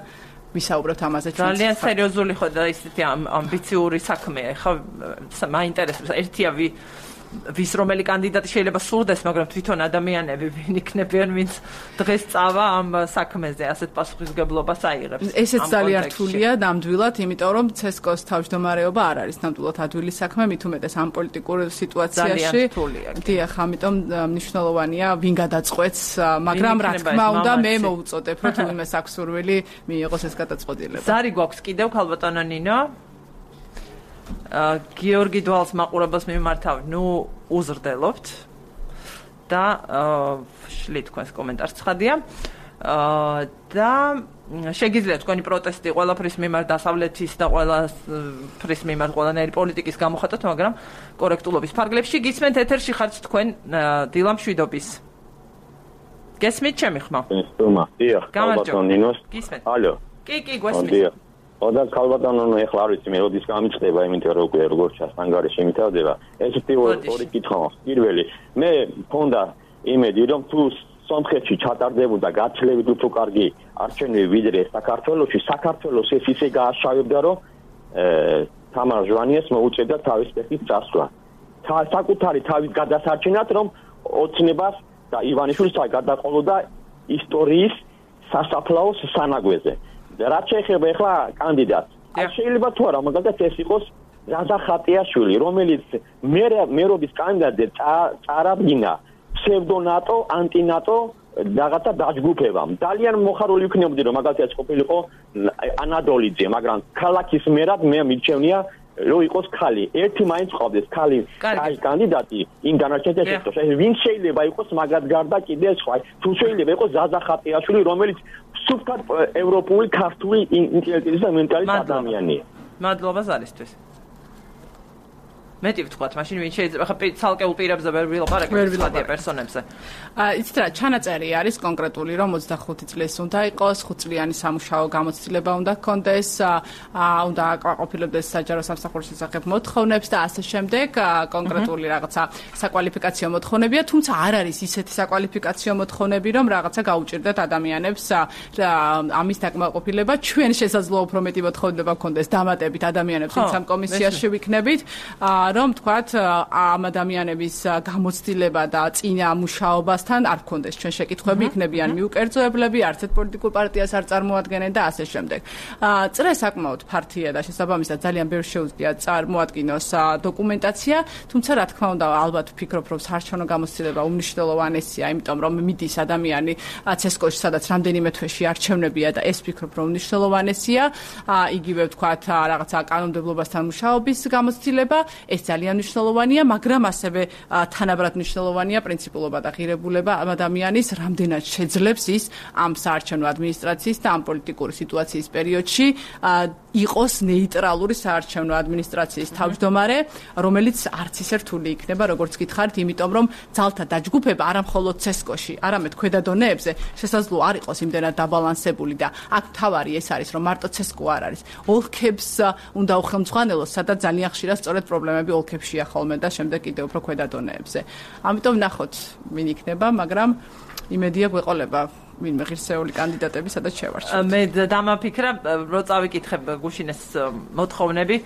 ვისაუბრებთ ამაზე ჩვენ. ძალიან სერიოზული ხო და ისეთი ამბიციური საქმეა. ხო მაინტერესებს ერთია ვის რომელი კანდიდატი შეიძლება სურდეს, მაგრამ თვითონ ადამიანები ვინ იქნებიან, ვინც დღეს წავა ამ საქმეზე, ასეთ პასუხისმგებლობას აიღებს. ესეც ძალიან რთულია ნამდვილად, იმიტომ რომ CESCO-ს თავმჯდომარეობა არ არის ნამდვილად ადვილი საქმე, მით უმეტეს ამ პოლიტიკურ სიტუაციაში. დიახ, ამიტომ მნიშვნელოვანია ვინ გადაწყვეტს, მაგრამ რა თქმა უნდა მე მოვუწოდებ, რომ თუმცა აქვს სურვილი მიიღოს ეს გადაწყვეტილება. ზარი გვაქვს კიდევ ქალბატონო ნინო. გიორგი დვალს მაყურებელს მიმართავ, უზრდელობთ და შლით თქვენს კომენტარს ცხადია. და შეგიძლიათ თქვენი პროტესტი ყველაფრის მიმართ დასავლეთის და ყველაფრის მიმართ ყველანაირი პოლიტიკის გამოხატოთ, მაგრამ კორექტულობის ფარგლებში გისმენთ ეთერში ხართ თქვენ დილა მშვიდობის. გესმით ჩემი ხმა? დიახ, ქალბატონო ნინოს. გისმენთ? ალო. კი, გვესმით. და ქალბატონო ეხლა არ ვიცი მე როდის გამიწყდება, იმიტომ რომ უკვე როგორც ჩანს ანგარიში მითავდება. ესეთი ორი კითხვა. პირველი, მე მქონდა იმედი, რომ თუ სომხეთში ჩატარდებოდა გაცილებით უფრო კარგი არჩევნები ვიდრე საქართველოში, საქართველოს ეს ისე გააშავებდა, რომ თამარ ჟვანიეს მოუწევდა თავის პეხის წასვლა. საკუთარი თავის გადასარჩენად, რომ ოცნებას და ივანიშვილს გადაყოლოდა ისტორიის სასაფლაოს სანაგვეზე. რაც შეეხება ახლა კანდიდატს. შეიძლება თუ არა, მაგალითად ეს იყოს რაზა ხატიაშვილი, რომელიც მერობის კანდიდატზე წარადგინა ფსევდონატო, ანტინატო რაღაცა დაჯგუფებამ. ძალიან მოხარული ვიქნებოდი, რომ მაგალითად ყოფილიყო ანადოლიძე, მაგრამ ქალაქის მერად მე მიჩვენია რომ იყოს ხალი. ერთი მაინც ყავდეს ხალი კანდიდატი იმ განაჩენთან შეხვდა. ვინ შეიძლება იყოს მაგათ გარდა კიდე სხვა. თუ შეიძლება იყოს ზაზა ხატიაშვილი, რომელიც სუფთად ევროპული ქართული ინტელექტუალის და მენტალის ადამიანია. მადლობა ზარისთვის. მეტი ვთქვათ, მაშინ ვინ შეიძლება ხა ცალკეულ პირებზე ვერ ვილაპარაკებთ სხვა პერსონებზე. იცით რა, ჩანაწერი არის კონკრეტული, რომ 25 წლის უნდა იყოს, 5 წლიანი სამუშაო გამოცდილება უნდა ჰქონდეს, უნდა აკმაყოფილებდეს საჯარო სამსახურის შესახებ მოთხოვნებს და ასე შემდეგ, კონკრეტული რაღაცა საკვალიფიკაციო მოთხოვნებია, თუმცა არ არის ისეთი საკვალიფიკაციო მოთხოვნები, რომ რაღაცა გაუჭირდეთ ადამიანებს ამის დაკმაყოფილება. ჩვენ შესაძლოა უფრო მეტი მოთხოვნება ჰქონდეს დამატებით ადამიანებს, ვინც ამ კომისიაში ვიქნებით. რომ თქვათ ამ ადამიანების გამოცდილება და წინა მუშაობასთან არ გქონდეს ჩვენ შეკითხვები, იქნებიან მიუკერძოებლები, არც ერთ პოლიტიკურ პარტიას არ წარმოადგენენ და ასე შემდეგ. წრე საკმაოდ ფართია და შესაბამისად ძალიან ბევრს შეუძლია წარმოადგინოს დოკუმენტაცია, თუმცა რა თქმა უნდა ალბათ ვფიქრობ, რომ საარჩევნო გამოცდილება უმნიშვნელოვანესია, იმიტომ რომ მიდის ადამიანი CESCO-ში, სადაც რამდენიმე თვეში არჩევნებია და ეს ვფიქრობ, რომ უმნიშვნელოვანესია. იგივე ვთქვათ რაღაცა კანონმდებლობასთან მუშაობის გამოცდილება. ეს ძალიან მნიშვნელოვანია, მაგრამ ასევე თანაბრად მნიშვნელოვანია პრინციპულობა და ღირებულება ამ ადამიანის, რამდენად შეძლებს ის ამ საარჩევნო ადმინისტრაციის და ამ პოლიტიკური სიტუაციის პერიოდში იყოს ნეიტრალური საარჩევნო ადმინისტრაციის თავმჯდომარე, რომელიც არც ისე რთული იქნება, როგორც გითხარით, იმიტომ რომ ძალთა დაჯგუფება არა მხოლოდ CESCO-ში, არამედ ქვედა დონეებზე შესაძლოა არ იყოს იმდენად დაბალანსებული და აქ თავარი ეს არის, რომ მარტო CESCO არ არის. ოლქებს უნდა უხელმძღვანელოს, სადაც ძალიან ხშირად სწორედ პრობლემები ოლქებშია ხოლმე და შემდეგ კიდევ უფრო ქვედა დონეებზე. ამიტომ ნახოთ, ვინ იქნება, მაგრამ იმედია გვეყოლება ვინმე ღირსეული კანდიდატები, სადაც შევარჩიოთ. მე დამაფიქრა, რო წავიკითხებ გუშინეს მოთხოვნები,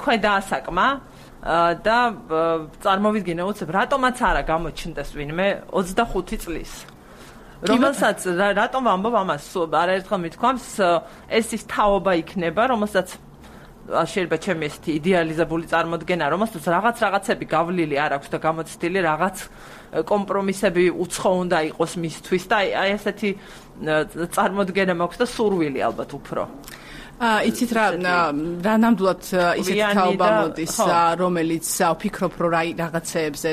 ქვედა ასაკმა და წარმოვიდგინე უცებ რატომაც არა გამოჩნდეს ვინმე 25 წლის. რომელსაც რატომ ვამბობ ამას, არაერთხელ მithქვამს, ეს ის თაობა იქნება, რომელსაც შეიძლება ჩემი ესეთი იდეალიზებული წარმოდგენა, რომელსაც რაღაცები გავლილი არ აქვს და გამოცდილი რაღაც კომპრომისები უცხო უნდა იყოს მისთვის და აი ესეთი წარმოდგენა მაქვს და სურვილი ალბათ უფრო. იცით რა ნამდვილად ისეთი თაობა მოდის, რომელიც ვფიქრობ, რომ რაღაცეებზე,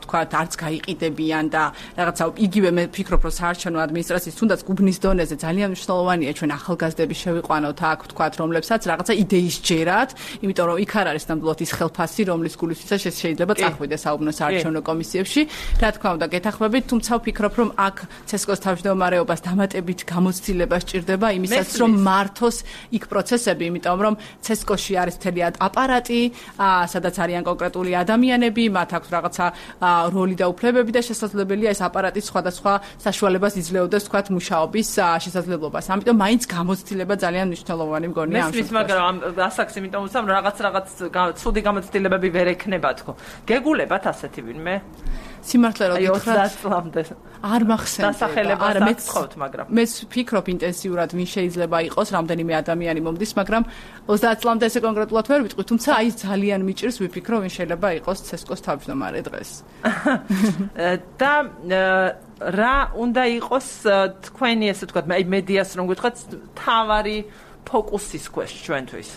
თქვათ, არც გაიყიდებიან და რაღაცა იგივე მე ვფიქრობ, რომ საარჩევნო ადმინისტრაციის თუნდაც გუბნის დონეზე ძალიან მნიშვნელოვანია ჩვენ ახალგაზრდები შევიყვანოთ აქ, თქვათ, რომლებსაც რაღაცა იდეის ჯერათ, იმიტომ რომ იქ არ არის ნამდვილად ის ხელფასი, რომლის გულისთვისაც შეიძლება წახვიდეს საუბნო საარჩევნო კომისიებში. რა თქმა უნდა, გეთანხმებით, თუმცა ვფიქრობ, რომ აქ CESCO-ს თავმჯდომარეობას დამატებით გამოცდილება სჭირდება იმისაც, რომ მართოს იქ პროცესები, იმიტომ რომ CESCO-ში არის მთელი აპარატი, სადაც არიან კონკრეტული ადამიანები, მათ აქვს რაღაცა როლი და უფლებები და შესაძლებელია ეს აპარატი სხვადასხვა საშუალებას იძლეოდეს, თქვათ, მუშაობის შესაძლებლობას. ამიტომ მაინც გამოცდილება ძალიან მნიშვნელოვანი მგონია ამ შემთხვევაში. მაგრამ ასაკს იმიტომ ვუცამ რაღაც ცუდი გამოცდილებები ვერ ექნება თქო. გეგულებათ ასეთი ვინმე? სიმართლე რომ გითხრათ 30 წლამდე არ მახსენდება. დასახელებას აღწევთ, მაგრამ მე ვფიქრობ ინტენსიურად ვინ შეიძლება იყოს, რამდენიმე ადამიანი მომდის, მაგრამ 30 წლამდე ესე კონკრეტულად ვერ ვიტყვი, თუმცა აი ძალიან მიჭირს ვიფიქრო ვინ შეიძლება იყოს CESCO-ს თავმჯდომარე დღეს. და რა უნდა იყოს თქვენი ესე ვთქვათ, აი მედიას რომ გითხრათ, თავარი ფოკუსის ქვეშ ჩვენთვის.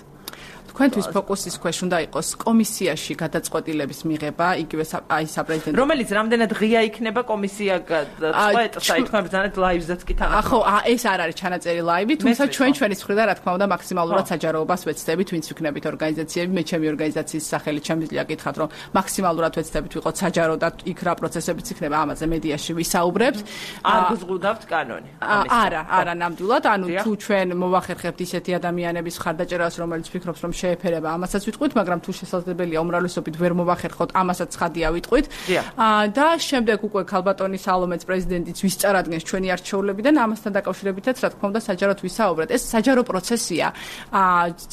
თქვენთვის ფოკუსის ქვეშ უნდა იყოს კომისიაში გადაწყვეტილების მიღება, იგივე აი საპრეზიდენტო. რომელიც რამდენად ღია იქნება კომისია წვეტს, აი თქვენ ბრძანეთ ლაივზეც კი თან. ხო, ეს არ არის ჩანაწერი ლაივი, თუმცა ჩვენის მხრიდან რა თქმა უნდა მაქსიმალურად საჯაროობას ვეცდებით, ვინც ვიქნებით ორგანიზაციები, მე ჩემი ორგანიზაციის სახელით შემიძლია გითხრათ, რომ მაქსიმალურად ვეცდებით ვიყოთ საჯარო და იქ რა პროცესებიც იქნება, ამაზე მედიაში ვისაუბრებთ. არ გზღუდავთ კანონი. არა, ნამდვილად, ანუ თუ ჩვენ მოვახერხებთ ისეთი ადამიანების ხარდაჭერას, რომელიც ფიქრობს, რომ შეეფერება, ამასაც ვიტყვით, მაგრამ თუ შესაძლებელია უმრავლესობით ვერ მოვახერხოთ, ამასაც ცხადია ვიტყვით. და შემდეგ უკვე ქალბატონი სალომეც პრეზიდენტიც ვისწარადგენს ჩვენი არჩეულებიდან, ამასთან დაკავშირებითაც რა თქმა უნდა საჯაროდ ვისაუბრეთ. ეს საჯარო პროცესია.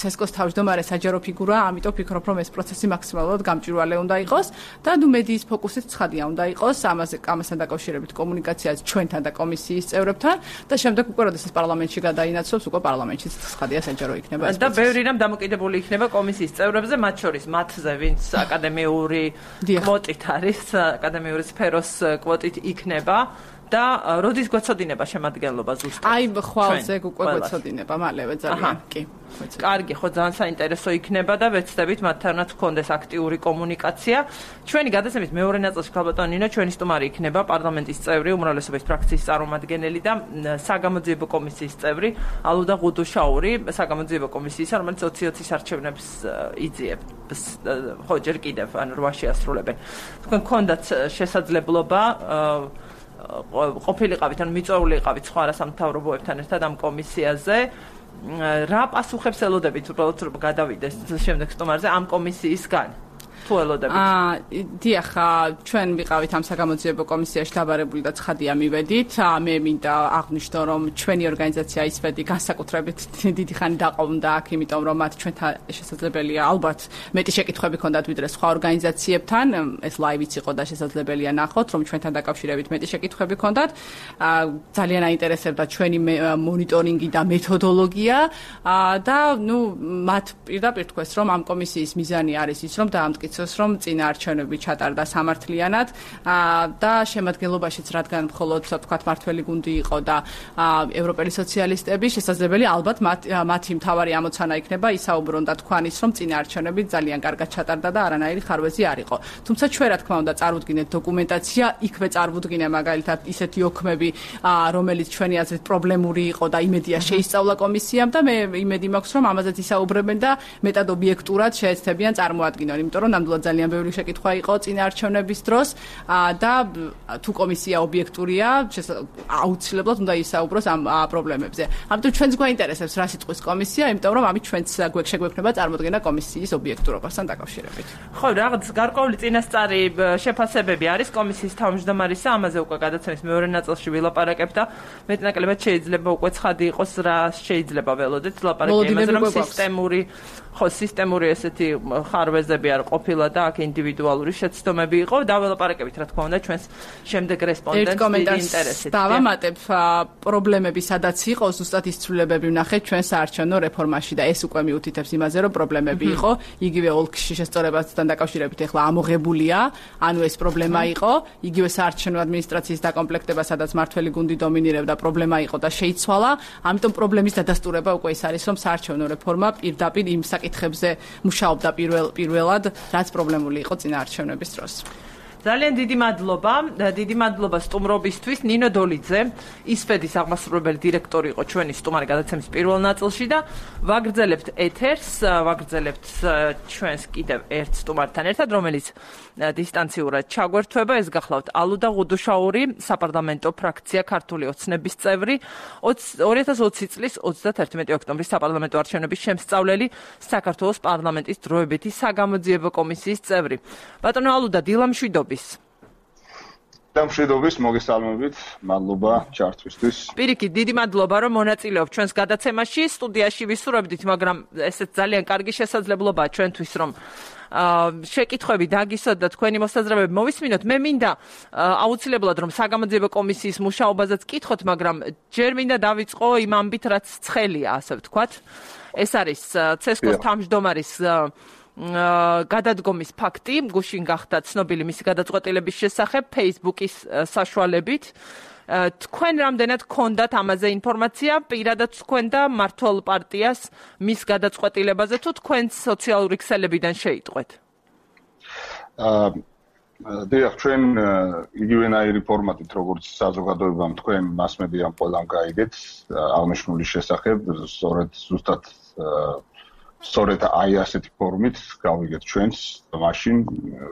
CESCO-ს თავმჯდომარე საჯარო ფიგურაა, ამიტომ ვფიქრობ, რომ ეს პროცესი მაქსიმალურად გამჭვირვალე უნდა იყოს და ნუ მედიის ფოკუსიც ცხადია უნდა იყოს, ამასთან დაკავშირებით კომუნიკაციაც ჩვენთან და კომისიის წევრებთან და შემდეგ უკვე როდესაც პარლამენტში გადაინაცვლოს, უკვე პარლამენტშიც ცხადია საჯარო იქნება ეს. და ბევრი რამ დამოკიდებული იქნება კომისიის წევრებზე, მათ შორის მათზე, ვინც აკადემიური კვოტით არის, აკადემიური სფეროს კვოტით იქნება და როდის გვეცოდინება შემადგენლობა ზუსტად? აი, ხვალზე უკვე გვეცოდინება, მალევე ძალიან, კი. კარგი, ხო, ძალიან საინტერესო იქნება და ვეცდებით მათთანაც გქონდეს აქტიური კომუნიკაცია. ჩვენი გადაცემის მეორე ნაწილში ქალბატონი ნინო ჩვენი სტუმარი იქნება პარლამენტის წევრი, უმრავლესობის ფრაქციის წარმომადგენელი და საგამოძიებო კომისიის წევრი ალუდა ღუდუშაური, საგამოძიებო კომისიისა, რომელიც 2020-ის არჩევნებს იძიებს. ხო, ჯერ კიდევ ან 8-ში ასრულებენ. თქვენ გქონდათ შესაძლებლობა ყოფილიყავით, ან მიწვეული იყავით სხვა არასამთავრობოებთან ერთად ამ კომისიაზე. რა პასუხებს ელოდებით უბრალოდ რომ გადავიდეს შემდეგ სტუმარზე ამ კომისიისგან? თუ ელოდებით? დიახ, ჩვენ ვიყავით ამ საგამოძიებო კომისიაში დაბარებული და ცხადია მივედით. მე მინდა აღვნიშნო, რომ ჩვენი ორგანიზაცია ისვედი განსაკუთრებით დიდი ხანი დაყოლდა აქ, იმიტომ რომ მათ ჩვენთან შესაძლებელია ალბათ მეტი შეკითხვები ჰქონდათ ვიდრე სხვა ორგანიზაციებთან. ეს ლაივიც იყო და შესაძლებელია ნახოთ, რომ ჩვენთან დაკავშირებით მეტი შეკითხვები ჰქონდათ. ძალიან აინტერესებდა ჩვენი მონიტორინგი და მეთოდოლოგია და ნუ მათ პირდაპირ თქვეს, რომ ამ კომისიის მიზანი არის ის, რომ დაამტკიცოს იცოს, რომ წინა არჩევნები ჩატარდა სამართლიანად და შემადგენლობაშიც რადგან მხოლოდ თქვათ მართველი გუნდი იყო და ევროპელი სოციალისტები, შესაძლებელი ალბათ მათი მთავარი ამოცანა იქნება ისაუბრონ და თქვან ის, რომ წინა არჩევნები ძალიან კარგად ჩატარდა და არანაირი ხარვეზი არ იყო. თუმცა ჩვენ რა თქმა უნდა წარუდგინეთ დოკუმენტაცია, იქვე წარუდგინე მაგალითად ისეთი ოქმები, რომელიც ჩვენი აზრით პრობლემური იყო და იმედია შეისწავლა კომისიამ და მე იმედი მაქვს, რომ ამაზეც ისაუბრებენ და მეტად ობიექტურად შეეცდებიან წარმოადგინონ, იმიტომ რომ ნამდვილად ძალიან ბევრი შეკითხვა იყო წინა არჩევნების დროს და თუ კომისია ობიექტურია, აუცილებლად უნდა ისაუბროს ამ პრობლემებზე. ამიტომ ჩვენც გვაინტერესებს რა სიტყვის კომისია, იმიტომ რომ ამით ჩვენც შეგვექნება წარმოდგენა კომისიის ობიექტურობასთან დაკავშირებით. ხო, რაღაც გარკვეული წინასწარი შეფასებები არის კომისიის თავმჯდომარისა, ამაზე უკვე გადაცემის მეორე ნაწილში ვილაპარაკებ და მეტნაკლებად შეიძლება უკვე ცხადი იყოს რა შეიძლება ველოდეთ ლაპარაკი იმაზე, რომ სისტემური ესეთი ხარვეზები არ ყოფილა და აქ ინდივიდუალური შეცდომები იყო და ველაპარაკებით რა თქმა უნდა ჩვენს შემდეგ რესპონდენტს დიდი ინტერესით. დავამატებ პრობლემები სადაც იყო, ზუსტად ის ცვლილებები ვნახეთ ჩვენ საარჩევნო რეფორმაში და ეს უკვე მიუთითებს იმაზე, რომ პრობლემები იყო, იგივე ოლქში შესწორებასთან დაკავშირებით ეხლა ამოღებულია, ანუ ეს პრობლემა იყო, იგივე საარჩევნო ადმინისტრაციის დაკომპლექტება, სადაც მართველი გუნდი დომინირებდა, პრობლემა იყო და შეიცვალა, ამიტომ პრობლემის დადასტურება უკვე ის არის, რომ საარჩევნო რეფორმა პირდაპირ იმ საკითხებზე მუშაობდა პირველად, რაც პრობლემული იყო წინა არჩევნების დროს. ძალიან დიდი მადლობა სტუმრობისთვის. ნინო დოლიძე, ისფედის აღმასრულებელი დირექტორი იყო ჩვენი სტუმარი გადაცემის პირველ ნაწილში და ვაგრძელებთ ეთერს, ვაგრძელებთ ჩვენს კიდევ ერთ სტუმართან ერთად, რომელიც დისტანციურად ჩაგვერთვება. ეს გახლავთ ალუდა ღუდუშაური, საპარლამენტო ფრაქცია ქართული ოცნების წევრი, 2020 წლის 31 ოქტომბრის საპარლამენტო არჩევნების შემსწავლელი, საქართველოს პარლამენტის დროებითი საგამოძიებო კომისიის წევრი. ბატონო ალუდა, დილამშვიდობის. დამშვიდობის, მოგესალმებით, მადლობა ჩართვისთვის. პირიქით, დიდი მადლობა, რომ მონაწილეობ ჩვენს გადაცემაში. სტუდიაში ვისურვებდით, მაგრამ ესეც ძალიან კარგი შესაძლებლობაა ჩვენთვის, რომ შეკითხვები დაგისვათ და თქვენი მოსაზრებები მოვისმინოთ. მე მინდა აუცილებლად რომ საგამოძიებო კომისიის მუშაობაზეც კითხოთ, მაგრამ ჯერ მინდა დავიწყო იმ ამბით, რაც ცხელია, ასე ვთქვათ. ეს არის ცესკოს თავმჯდომარის გადადგომის ფაქტი, გუშინ გახდა ცნობილი მისი გადაწყვეტილების შესახებ Facebook-ის საშუალებით. თქვენ რამდენად გქონდათ ამაზე ინფორმაცია, პირადად თქვენ და მართლ პარტიას მის გადაწყვეტილებაზე, თუ თქვენ სოციალური ქსელებიდან შეიტყვეთ? დიახ, ჩვენ იგივენაირი ფორმატით, როგორც საზოგადოებამ თქვენ მასმედიამ ყველამ გაიგეთ აღნიშნული შესახებ, სწორედ აი ასეთი ფორმით გავიგეთ ჩვენს მაშინ,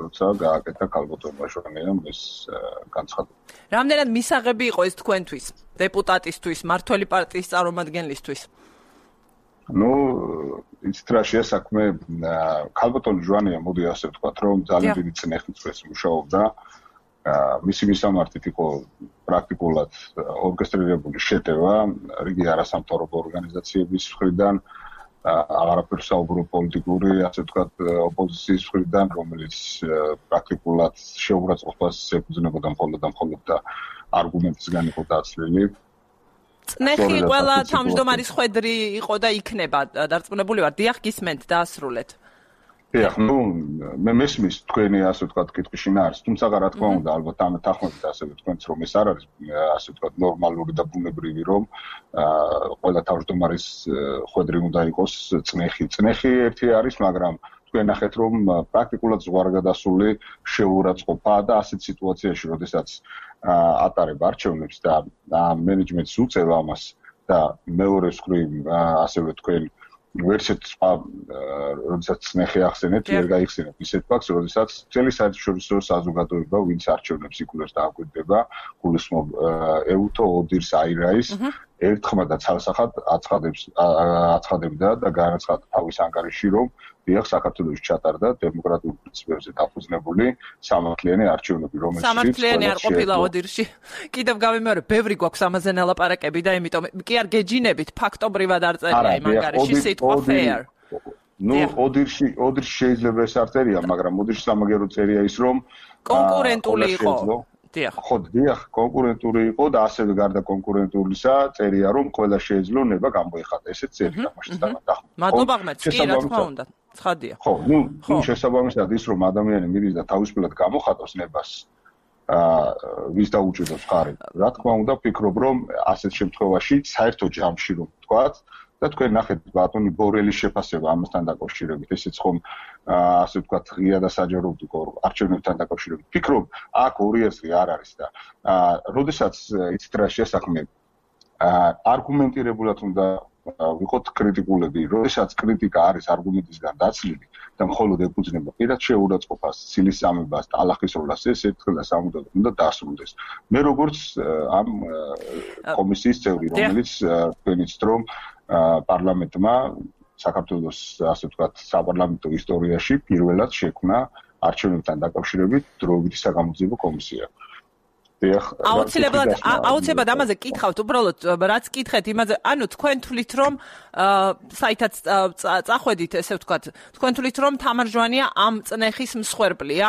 როცა გააკეთა ქალბატონ ბაშვანიამ ეს განცხადება. რამდენად მისაღები იყო ეს თქვენთვის, დეპუტატისთვის, მართველი პარტიის წარმომადგენლისთვის? იცით რა შეასაქმე, ქალბატონ ჟვანია, მოდი ასე ვთქვათ, რომ ძალიან დიდი წნეხით წვეს მუშაობდა. მისი მისამართით იყო პრაქტიკულად ორკესტრირებული შეტევა რიგი არასამთავრობო ორგანიზაციების მხრიდან, აღარაფერს საუბრო პოლიტიკური, ასე ვთქვათ, ოპოზიციის მხრიდან, რომელიც პრაქტიკულად შეურაცხყოფას ეფუძნებოდა მხოლოდ და არგუმენტისგან იყო დაცლილი. წნეხი ყველა თავმჯდომარის ხვედრი იყო და იქნება დარწმუნებული ვარ. დიახ, გისმენთ, დაასრულეთ. დიახ, მე მესმის თქვენი ასე ვთქვათ კითხვის შინაარსს, თუმცა რა თქმა უნდა, ალბათ ამ თანხმობით ასევე თქვენც რომ ეს არ არის ასე ვთქვათ ნორმალური და ბუნებრივი, რომ ყველა თავმჯდომარის ხვედრი უნდა იყოს წნეხი. წნეხი ერთი არის, მაგრამ თქვენ ნახეთ რომ პრაქტიკულად ზღვარგადასული შეურაცხყოფა და ასეთ სიტუაციაში, როდესაც ატარებ არჩევნებს და მენეჯმენტს უწევ ამას და მეორე მხრივ ასევე თქვენ ვერსეთ სხვა როდესაც წნეხი ახსენეთ, ვერ გაიხსენებთ ისეთ ფაქტს, როდესაც მთელი საერთაშორისო საზოგადოება, ვინც არჩევნებს იკვლევს და აკვირდება, გულისხმობ ეუთო ოდირს აირაის ერთხმად და ცალსახად აცხადებდა და განაცხადა თავის ანგარიში, რომ დიახ, საქართველოს ჩატარდა დემოკრატიულ პრინციპებზე დაფუძნებული სამართლიანი არჩევნები, რომელიც სამართლიანი არ ყოფილა ოდირში. კიდევ გავიმეორებ, ბევრი გვაქვს ამაზე ნალაპარაკები და იმიტომ კი არ გეჯინებით, ფაქტობრივად არ წერია იმ ანგარიში სიტყვა fair. ოდირში შეიძლება ეს არ წერია, მაგრამ ოდირში სამაგერო წერია ის, რომ კონკურენტული იყო. ხო, დიახ, კონკურენტული იყო და ასევე გარდა კონკურენტულისა წერია, რომ ყველა შეეძლო ნება გამოეხატა. ესეც წერია მაშინ და მადლობა ღმერთს, კი რა თქმა უნდა. ცხადია. ხო, შესაბამისად ის რომ ადამიანი მიდის და თავისუფლად გამოხატავს ნებას ვის დაუჭირავს ხარი. Რა თქმა უნდა, ვფიქრობ, რომ ასეთ შემთხვევაში საერთო ჯამში რომ ვთქვათ და თქვენ ნახეთ ბატონი ბორელის შეფასება ამასთან დაკავშირებით, ესეც ხომ ასე ვთქვათ, ღია და საჯაროდ იყო არჩევნებთან დაკავშირებით. ვფიქრობ, აქ ორი აზრი არ არის და როდესაც იცით რა შესაქმე არგუმენტირებულად უნდა ვიყოთ კრიტიკულები, როდესაც კრიტიკა არის არგუმენტისგან დაცლილი და მხოლოდ ეფუძნება პირად შეურაცხყოფას, ცილისწამებას, ტალახის როლას, ეს ერთხელ და სამუდამოდ უნდა დასრულდეს. მე როგორც ამ კომისიის წევრი, რომელიც თქვენიც რომ პარლამენტმა საქართველოს ასე ვთქვათ, საპარლამენტო ისტორიაში პირველად შექმნა არჩევნებთან დაკავშირებით დროებითი საგამოძიებო კომისია. აუცილებლად ამაზე კითხავთ, უბრალოდ რაც კითხეთ იმაზე, ანუ თქვენ თვლით რომ საითაც წახვედით, ესე ვთქვათ, თქვენ თვლით რომ თამარ ჟვანია ამ წნეხის მსხვერპლია?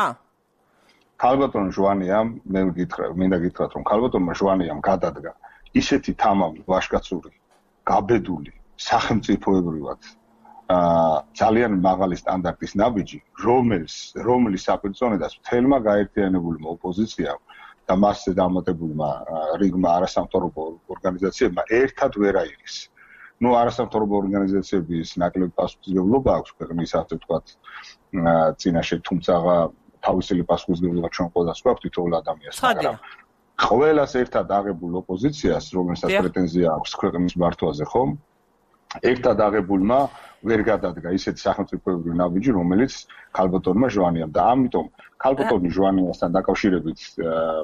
ქალბატონ ჟვანიამ მე მინდა გითხრათ რომ ქალბატონმა ჟვანიამ გადადგა ისეთი თამამი ვაშკაცური, გაბედული, სახელმწიფოებრივად ძალიან მაღალი სტანდარტის ნაბიჯი, რომლის საპირწონედაც მთელმა გაერთიანებულმა ოპოზიციამ და მასზე დამატებულმა რიგმა არასამთავრობო ორგანიზაციებმა ერთად ვერ აიღეს. არასამთავრობო ორგანიზაციების ნაკლები პასუხისმგებლობა აქვს ქვეყნის ასე ვთქვათ წინაშე, თუმცა თავისელი პასუხისმგებლობა ჩვენ ყველას გვაქვს თითოეულ ადამიანს, მაგრამ ყველას ერთად აღებულ ოპოზიციას, რომელსაც პრეტენზია აქვს ქვეყნის მართვაზე, ხომ? ერთად აღებულმა ვერ გადადგა ისეთი სახელმწიფოებრივი ნაბიჯი, რომელიც ქალბატონმა ჟვანიამ და ამიტომ ქალბატონი ჟვანიასთან დაკავშირებით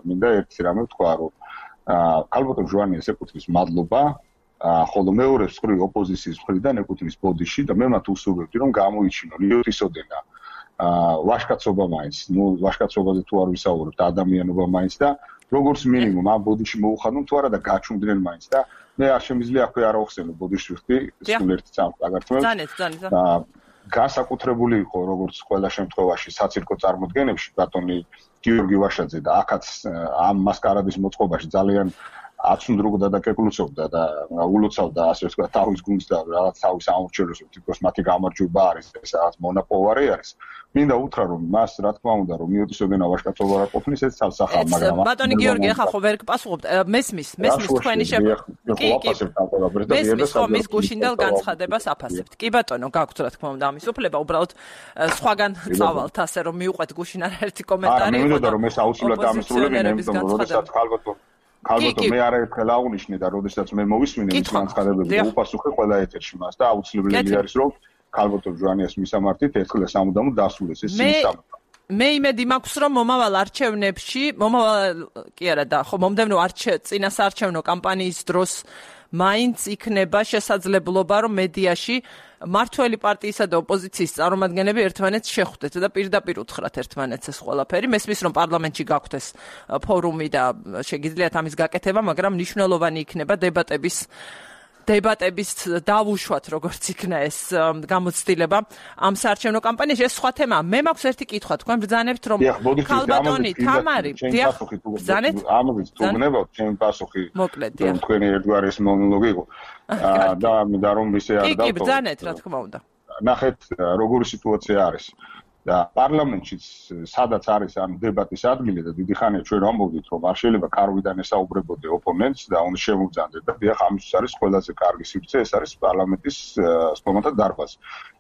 მინდა ერთი რამე ვთქვა, რომ ქალბატონ ჟვანიას ეკუთვნის მადლობა, ხოლო მეორე მხრივ ოპოზიციის მხრიდან ეკუთვნის ბოდიში და მე მათ უსურვებდი, რომ გამოიჩინონ იოტისოდენა ვაშკაცობა მაინც, ვაშკაცობაზე თუ არ ვისაუბრებ და ადამიანობა მაინც და როგორც მინიმუმ ამ ბოდიში მოუხადონ თუ არა და გაჩუმდნენ მაინც და მე არ შემიძლია აქვე არ ავხსენო ბოდიში ვხდი, სულ ერთი წამს აგართმევს. განსაკუთრებული იყო როგორც ყველა შემთხვევაში საცირკო წარმოდგენებში ბატონი გიორგი ვაშაძე და აქაც ამ მასკარადის მოწყობაში ძალიან აცუნდრუგდა და კეკლუცობდა და ულოცავდა ასე ვთქვათ თავის გუნდს და რაღაც თავის ამორჩევლებს, თითქოს მათი გამარჯვება არის, ეს რაღაც მონაპოვარი არის. მინდა უთხრა რომ მას რა თქმა უნდა რომ მიოტისოდენა ვაშკაცობა არ ყოფნის ეს ცალსახა, მაგრამ ბატონი გიორგი ახლა ხო ვერ გპასუხობთ, მესმის თქვენი მესმის ხო მის გუშინდელ განცხადებას აფასებთ. კი ბატონო, გაქვთ რა თქმა უნდა ამის უფლება, უბრალოდ სხვაგან წავალთ ასე რომ მიუყვეთ გუშინ არაერთი კომენტარი. მე მინდა რომ ეს აუცილებლად ამისრულებენ, იმიტომ რომ როდესაც ქალბატონ მე არაერთხელ აღვნიშნე და როდესაც მე მოვისმინე მის განცხადებებზე უპასუხე ყველა ეთერში მას და აუცილებელი არის რომ ქალბატონ ჟვანიას მისამართით ერთხელ სამუდამოდ დასრულდეს ეს სიმსამართლე. მე იმედი მაქვს რომ მომავალ არჩევნებში, კი არა და ხო მომდევნო წინასაარჩევნო კამპანიის დროს მაინც იქნება შესაძლებლობა რომ მედიაში მართველი პარტიისა და ოპოზიციის წარმომადგენლები ერთმანეთს შეხვდეთ და პირდაპირ უთხრათ ერთმანეთს ეს ყველაფერი. მესმის რომ პარლამენტში გაქვთ ეს ფორუმი და შეგიძლიათ ამის გაკეთება, მაგრამ მნიშვნელოვანი იქნება დებატების დავუშვათ როგორც იქნა ეს გამოცდილება ამ საარჩევნო კამპანიაში. ეს სხვა თემაა. მე მაქვს ერთი კითხვა, თქვენ ბრძანებთ რომ ქალბატონი თამარი ბრძანეთ ამაზე თუგნებავთ ჩემი პასუხი თქვენი ერთგვარის მონოლოგი იყო და რომ ისე არ დავთვალე. კი ბრძანეთ რა თქმა უნდა. ნახეთ როგორი სიტუაცია არის და პარლამენტშიც სადაც არის ამ დებატის ადგილი და დიდი ხანია ჩვენ ვამბობდით რომ არ შეიძლება კარვიდან ესაუბრებოდე ოპონენტს და უნდა შემოგძანდეთ და დიახ ამისთვის არის ყველაზე კარგი სივრცე, ეს არის პარლამენტის სტომატა დარბაზი.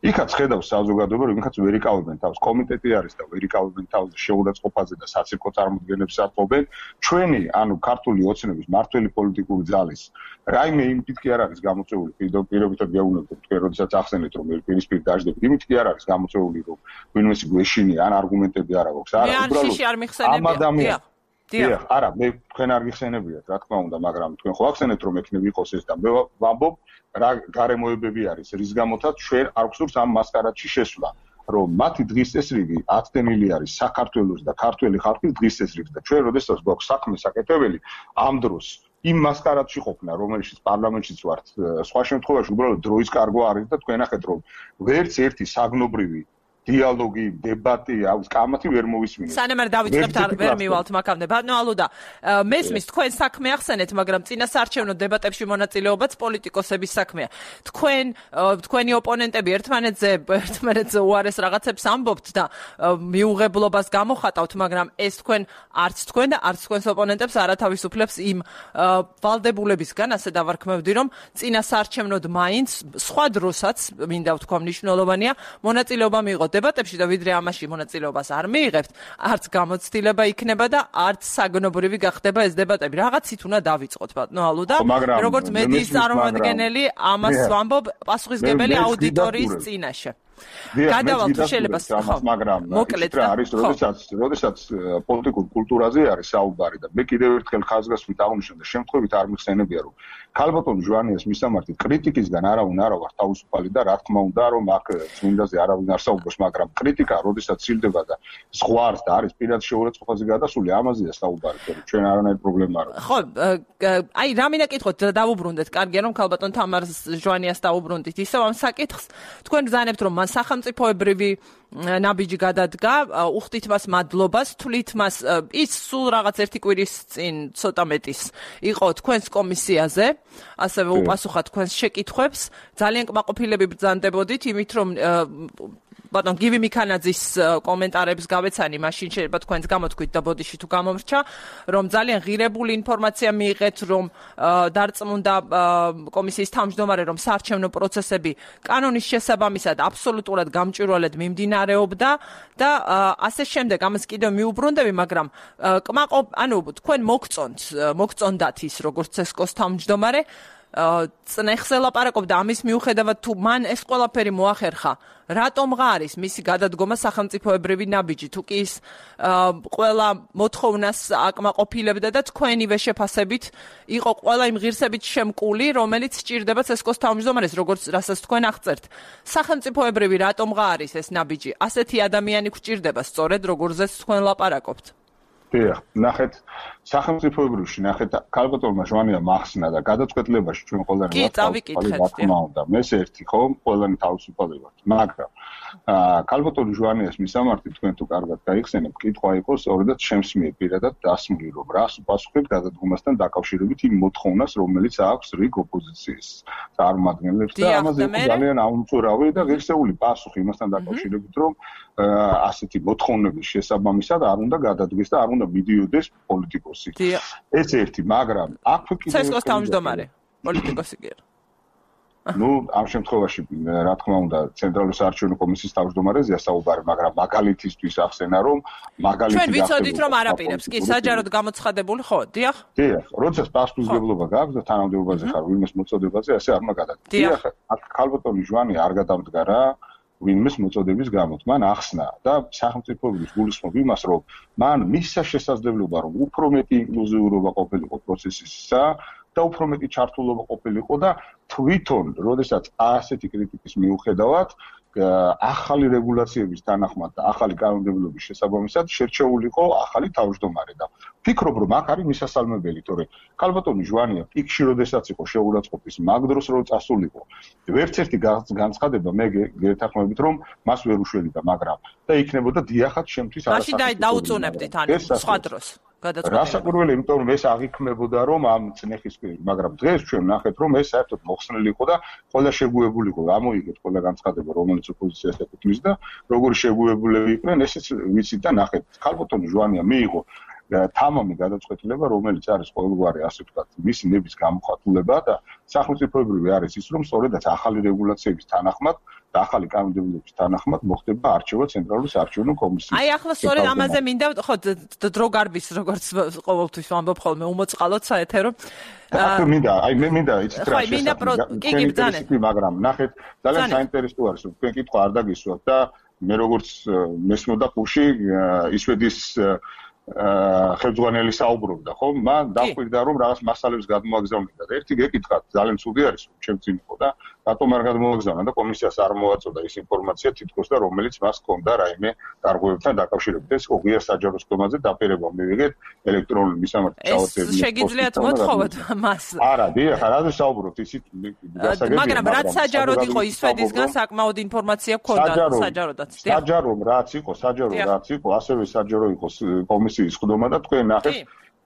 იქაც ხედავს საზოგადოება რომ იქაც ვერ იკავებენ თავს, კომიტეტი არის და ვერ იკავებენ თავს შეურაცხყოფაზე და საცირკო წარმოდგენებს ატყობენ. ჩვენი ანუ ქართული ოცნების მართველი პოლიტიკური ძალის რაიმე იმით კი არ არის გამოწვეული, პირობითად გეუბნებოდ თქვენ როდესაც ახსენეთ რომ პირისპირ დაждდებით, იმით კი არ არის გამოწვეული რომ ვინმესი გვეშინია ან არგუმენტები არ აქვს. არა, უბრალოდ დიახ, არა, მე თქვენ არ გიხსენებიათ, რა თქმა უნდა, მაგრამ თქვენ ხო ახსენეთ რომ ეკნები იყოს ეს და მე ვამბობ რა გარემოებები არის, რის გამოთაც ჩვენ არ გვსურს ამ მასკარადში შესვლა, რომ მათი დღის წესრიგი ათდენილი არის საქართველოს და ქართველი ხალხის დღის წესრიგი და ჩვენ როდესაც გვაქვს საქმე საკეთებელი ამ დროს იმ მასკარადში ყოფნა, რომელშიც პარლამენტშიც ვართ, სხვა შემთხვევაში უბრალოდ დროის კარგვა არის და თქვენ ახეთ რომ ვერც ერთი საგნობრივი დიალოგი, დებატი, კამათი ვერ მოვისმინეთ. სანამ არ დავიწყებთ ვერ მივალთ მაგამდე. ბატონო ალუდა, მესმის თქვენ საქმე ახსენეთ, მაგრამ წინასაარჩევნო დებატებში მონაწილეობაც პოლიტიკოსების საქმეა. თქვენი ოპონენტები ერთმანეთზე უარეს რაღაცებს ამბობთ და მიუღებლობას გამოხატავთ, მაგრამ ეს თქვენ არც თქვენ და არც თქვენს ოპონენტებს არავითარს იმ ვალდებულებისგან, ასე დავარქმევდი, რომ წინასაარჩევნოდ მაინც სხვა დროსაც მინდა ვთქვა მნიშვნელოვანია მონაწილეობა მიიღოთ დებატებში და ვიდრე ამაში მონაწილეობას არ მიიღებთ, არც გამოცდილება იქნება და არც საგნობრივი გახდება ეს დებატები. რაღაცით უნდა დავიწყოთ, ბატონო ალუდა, როგორც მედიის წარმომადგენელი ამას ვამბობ პასუხისმგებელი აუდიტორიის წინაშე. გადავალთ შეიძლება მაგრამ მოკლედ რა არის როდესაც პოლიტიკურ კულტურაზე არის საუბარი და მე კიდევ ერთხელ ხაზგასმით აღნიშნე და შემთხვევით არ მიხსენებია რომ ქალბატონ ჟვანიას მისამართით კრიტიკისგან არავინ არ ვარ თავისუფალი და რა თქმა უნდა რომ აქ წმინდაზე არავინ არ საუბრობს მაგრამ კრიტიკა როდესაც სილდება და ზღვარს და არის პირად შეურაცხყოფაზე გადასული ამაზეა საუბარი რომ ჩვენ არანაირი პრობლემა არ აქვს ხო აი რა მინდა კითხოთ დავუბრუნდეთ კარგია რომ ქალბატონ თამარ ჟვანიას დავუბრუნდით ისევ ამ საკითხს თქვენ ბრძანებთ რომ მან სახელმწიფოებრივი ნაბიჯი გადადგა უხდით მას მადლობას თვლით მას ის სულ რაღაც ერთი კვირის წინ ცოტა მეტის იყო თქვენს კომისიაზე ასევე უპასუხა თქვენს შეკითხვებს ძალიან კმაყოფილები ბრძანდებოდით იმით რომ ბატონ გივი მიქანაძის კომენტარებს გავეცანი მაშინ შეიძლება თქვენს გამოთქვით და ბოდიში თუ გამომრჩა რომ ძალიან ღირებული ინფორმაცია მიიღეთ რომ დარწმუნდა კომისიის თავმჯდომარე რომ საარჩევნო პროცესები კანონის შესაბამისად აბსოლუტურად გამჭვირვალედ მიმდინარეობდა და ასე შემდეგ ამას კიდევ მიუბრუნდები მაგრამ თქვენ მოგწონდათ ის როგორც ცესკოს თავმჯდომარე წნეხს ელაპარაკობდა ამის მიუხედავად თუ მან ეს ყველაფერი მოახერხა რატომღა არის მისი გადადგომა სახელმწიფოებრივი ნაბიჯი თუ კი ის ყველა მოთხოვნას აკმაყოფილებდა და თქვენივე შეფასებით იყო ყველა იმ ღირსებით შემკული რომელიც სჭირდება ცესკოს თავმჯდომარეს როგორც რასაც თქვენ აღწერთ სახელმწიფოებრივი რატომღა არის ეს ნაბიჯი ასეთი ადამიანი გვჭირდება სწორედ როგორზეც თქვენ ლაპარაკობთ დიახ, ნახეთ, სახელმწიფოებრივში ნახეთ, ქალბატონმა ჟვანია მახსნა და გადაწყვეტილებაში ჩვენ ყველანი ვართ. მეს ერთი ხო, ყველანი თავისუფალი ვართ. მაგრამ ქალბატონ ჟვანიას მისამართი თქვენ თუ კარგად გაიხსენებთ, კითხვა იყო სწორედაც ჩემს მიერ პირადად დასმული, რომ რას უპასუხებ გადადგომასთან დაკავშირებით იმ მოთხოვნას, რომელიც აქვს რიგ ოპოზიციის წარმომადგენლებს და ამაზე ძალიან აუმწურავი და ღირსეული პასუხი იმასთან დაკავშირებით, რომ ასეთი მოთხოვნების შესაბამისად არ უნდა გადადგეს და არ უნდა მიდიოდეს პოლიტიკოსი. ეს ერთი, მაგრამ აქ კიდევ ცესკოს თავმჯდომარე პოლიტიკოსი კი არა. ამ შემთხვევაში რა თქმა უნდა ცენტრალური საარჩევნო კომისიის თავმჯდომარეზეა საუბარი, მაგრამ მაგალითისთვის ახსენა რომ ჩვენ ვიცოდით რომ არაპირებს, კი საჯაროდ გამოცხადებული ხო, დიახ? დიახ, როდესაც პასუხისმგებლობა გაქვს და თანამდებობაზე ხარ ვინმეს მოწოდებაზე, ასე არ უნდა გადადგეს. დიახ, აქ ქალბატონი ჟვანი არ გადამდგა რა ვინმეს მოწოდების გამოთ. მან ახსნა და სახელმწიფოების გულისხმობ იმას, რომ მან მისცა შესაძლებლობა, რომ უფრო მეტი ინკლუზიურობა ყოფილიყო პროცესისა და უფრო მეტი ჩართულობა ყოფილიყო და თვითონ, როდესაც ასეთი კრიტიკის მიუხედავად, ახალი რეგულაციების თანახმად და ახალი კანონმდებლობის შესაბამისად შერჩეულიყო ახალი თავმჯდომარე და ფიქრობ, რომ აქ არის მისასალმებელი, თორე ქალბატონი ჟვანია პიკში როდესაც იყო შეურაცხყოფის მაგ დროს რო წასულიყო. ვერც ერთი განცხადება მე გეთანხმებით, რომ მას ვერ უშველიდა, მაგრამ და იქნებოდა დიახაც შემთთვის არასაკუთრებით. მაშინ დაუწუნებდით ანუ სხვა დროს. რასაკვირველი, იმიტომ რომ ეს აღიქმებოდა რომ ამ წნეხის კვირი, მაგრამ დღეს ჩვენ ნახეთ რომ ეს საერთოდ მოხსნილი იყო და ყველა შეგუებული იყო. ამოიგეთ ყველა განცხადება, რომელიც ოპოზიციას ეკუთვნის და როგორი შეგუებულები იყვნენ, ესეც ვიცით და ნახეთ. ქალბატონი ჟვანია მიიღო თამამი გადაწყვეტილება, რომელიც არის ყოველგვარი ასე ვთქვათ, მისი ნების გამოხატულება და სახელმწიფოებრივი არის ის, რომ სწორედაც ახალი რეგულაციების თანახმად და ახალი კანონმდებლობის თანახმად მოხდება არჩევა ცენტრალური საარჩევნო კომისიის. აი ახლა სწორედ ამაზე მინდა ხო დრო გარბის როგორც ყოველთვის ვამბობ ხოლმე უმოწყალოდ საეთერო. აქ მინდა, აი მე მინდა იცით რა შესაძლოა, მაგრამ ნახეთ, ძალიან საინტერესო არის, რომ თქვენ კითხვა არ დაგისვათ და მე როგორც მესმოდა ხუში ისვედის ხელმძღვანელი საუბრობდა, ხო? მან დახვირდა რომ რაღაც მასალებს გადმოაგზავნიდა და ერთი გეკითხათ, ძალიან ცუდი არის, რომ ჩემ წინ იყო და რატომ არ გადმოაგზავნა და კომისიას არ მოაწოდა ის ინფორმაცია თითქოს და რომელიც მას ჰქონდა რაიმე დარღვევებთან დაკავშირებით. ეს ოღია საჯარო სქემაზე დაპირება მივიღეთ ელექტრონული მისამართი ჩავწერილი. შეგიძლიათ მოთხოვოთ მას. არა, დიახ, რაზე საუბრობთ ისიც გასაგებია. მაგრამ რაც საჯაროდ იყო ისვედისგან საკმაოდ ინფორმაცია ჰქონდა საჯაროდაც. საჯარო რაც იყო, ასევე საჯარო იყო კომისიის ხდომა და თქვენ ნახეთ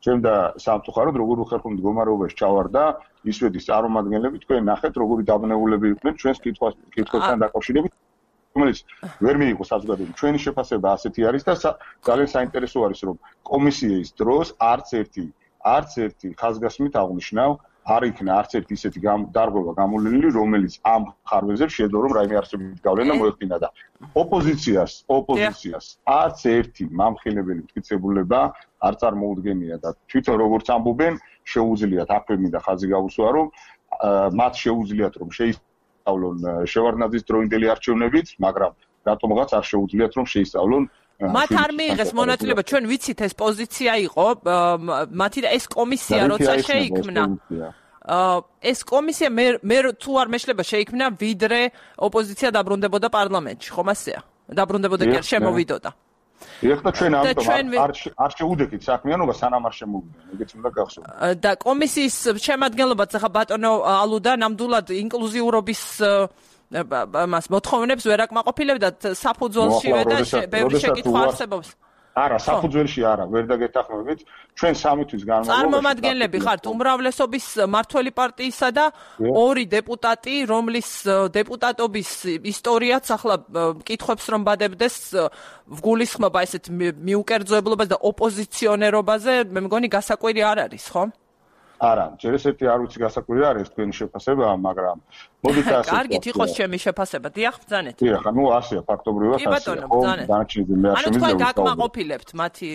ჩემ და სამწუხაროდ როგორ უხერხო მდგომარეობაში ჩავარდა ისვედის წარმომადგენლები თქვენ ნახეთ როგორი დაბნეულები იყვნენ ჩვენს კითხვებთან დაკავშირებით რომელიც ვერ მიიღო საზოგადოებრივი ჩვენი შეფასება ასეთი არის და ძალიან საინტერესო არის რომ კომისიის დროს არც ერთი ხაზგასმით აღნიშნავ არ იქნა არც ერთი ისეთი დარღვევა გამოვლენილი რომელიც ამ ხარვეზებს შეძლო რომ რაიმე არსებითი გავლენა მოეხდინა და ოპოზიციას არც ერთი მამხილებელი მტკიცებულება არ წარმოუდგენია და თვითონ როგორც ამბობენ შეუძლიათ აქვემი და ხაზი გაუსვა რომ მათ შეუძლიათ რომ შეისწავლონ შევარდნაძის დროინდელი არჩევნებით მაგრამ რატომღაც არ შეუძლიათ რომ შეისწავლონ მათ არ მიიღეს მონაწილეობა ჩვენ ვიცით ეს პოზიცია იყო მათი და ეს კომისია როცა შეიქმნა ეს კომისია მე თუ არ მეშლება შეიქმნა ვიდრე ოპოზიცია დაბრუნდებოდა პარლამენტში ხომ ასეა დაბრუნდებოდა კი არ შემოვიდოდა ეხლა ჩვენ ამიტომ არ შეუდექით საქმიანობა სანამ არ შემოვიდა ეგეც უნდა გახსოვდეთ და კომისიის შემადგენლობაც ახლა ბატონო ალუდა ნამდვილად ინკლუზიურობის მას მოთხოვნებს ვერ აკმაყოფილებდა საფუძველშივე და ბევრი შეკითხვა არსებობს. არა, საფუძველში არა, ვერ დაგეთანხმებით. ჩვენ 3 თვის განმავლობაში წარმომადგენლები ხართ უმრავლესობის მართველი პარტიისა და 2 დეპუტატი, რომლის დეპუტატობის ისტორიაც ახლა მკითხებს რომ ბადებდეს ვგულისხმობა ესეთ მიუკერძოებლობას და ოპოზიციონერობაზე, მე მგონი გასაკვირი არ არის, ხო? არა, ჯერ ესეთი არ ვიცი გასაკვირი არის თქვენი შეფასება, მაგრამ მოდით ასე. კარგით იყოს ჩემი შეფასება, დიახ, ბრძანეთ. დიახ, ანუ ასეა ფაქტობრივად ასეა. კი ბატონო, ბრძანეთ. ანუ თქვენ გაკმაყოფილებთ მათი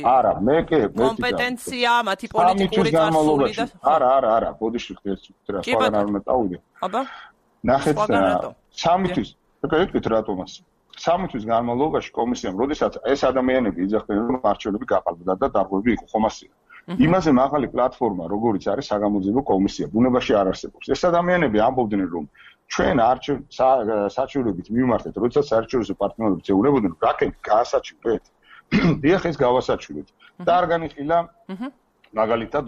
კომპეტენცია, მათი პოლიტიკური წარსული და არა, ბოდიში ხდეთ რა, სხვაგან არ უნდა წავიდე. აბა. ნახეთ 3 თვის. ეკეთ რატომას. 3 თვის განმავლობაში კომისიამ, როდესაც ეს ადამიანები იძახდნენ რომ არჩევნები გაყალბდა და დარღვევები იყო ხომ ასეა. იმაზე მაღალი პლატფორმა, როგორიც არის საგამოძიებო კომისია, ბუნებაში არ არსებობს. ეს ადამიანები ამბობდნენ, რომ ჩვენ საჩივრებით მივმართეთ, როდესაც საერთაშორისო პარტნიორები წევრებოდნენ, რაკეთ გაასაჩივრეთ. დიახ, ეს გავასაჩივრეთ. და არ განიხილა მაგალითად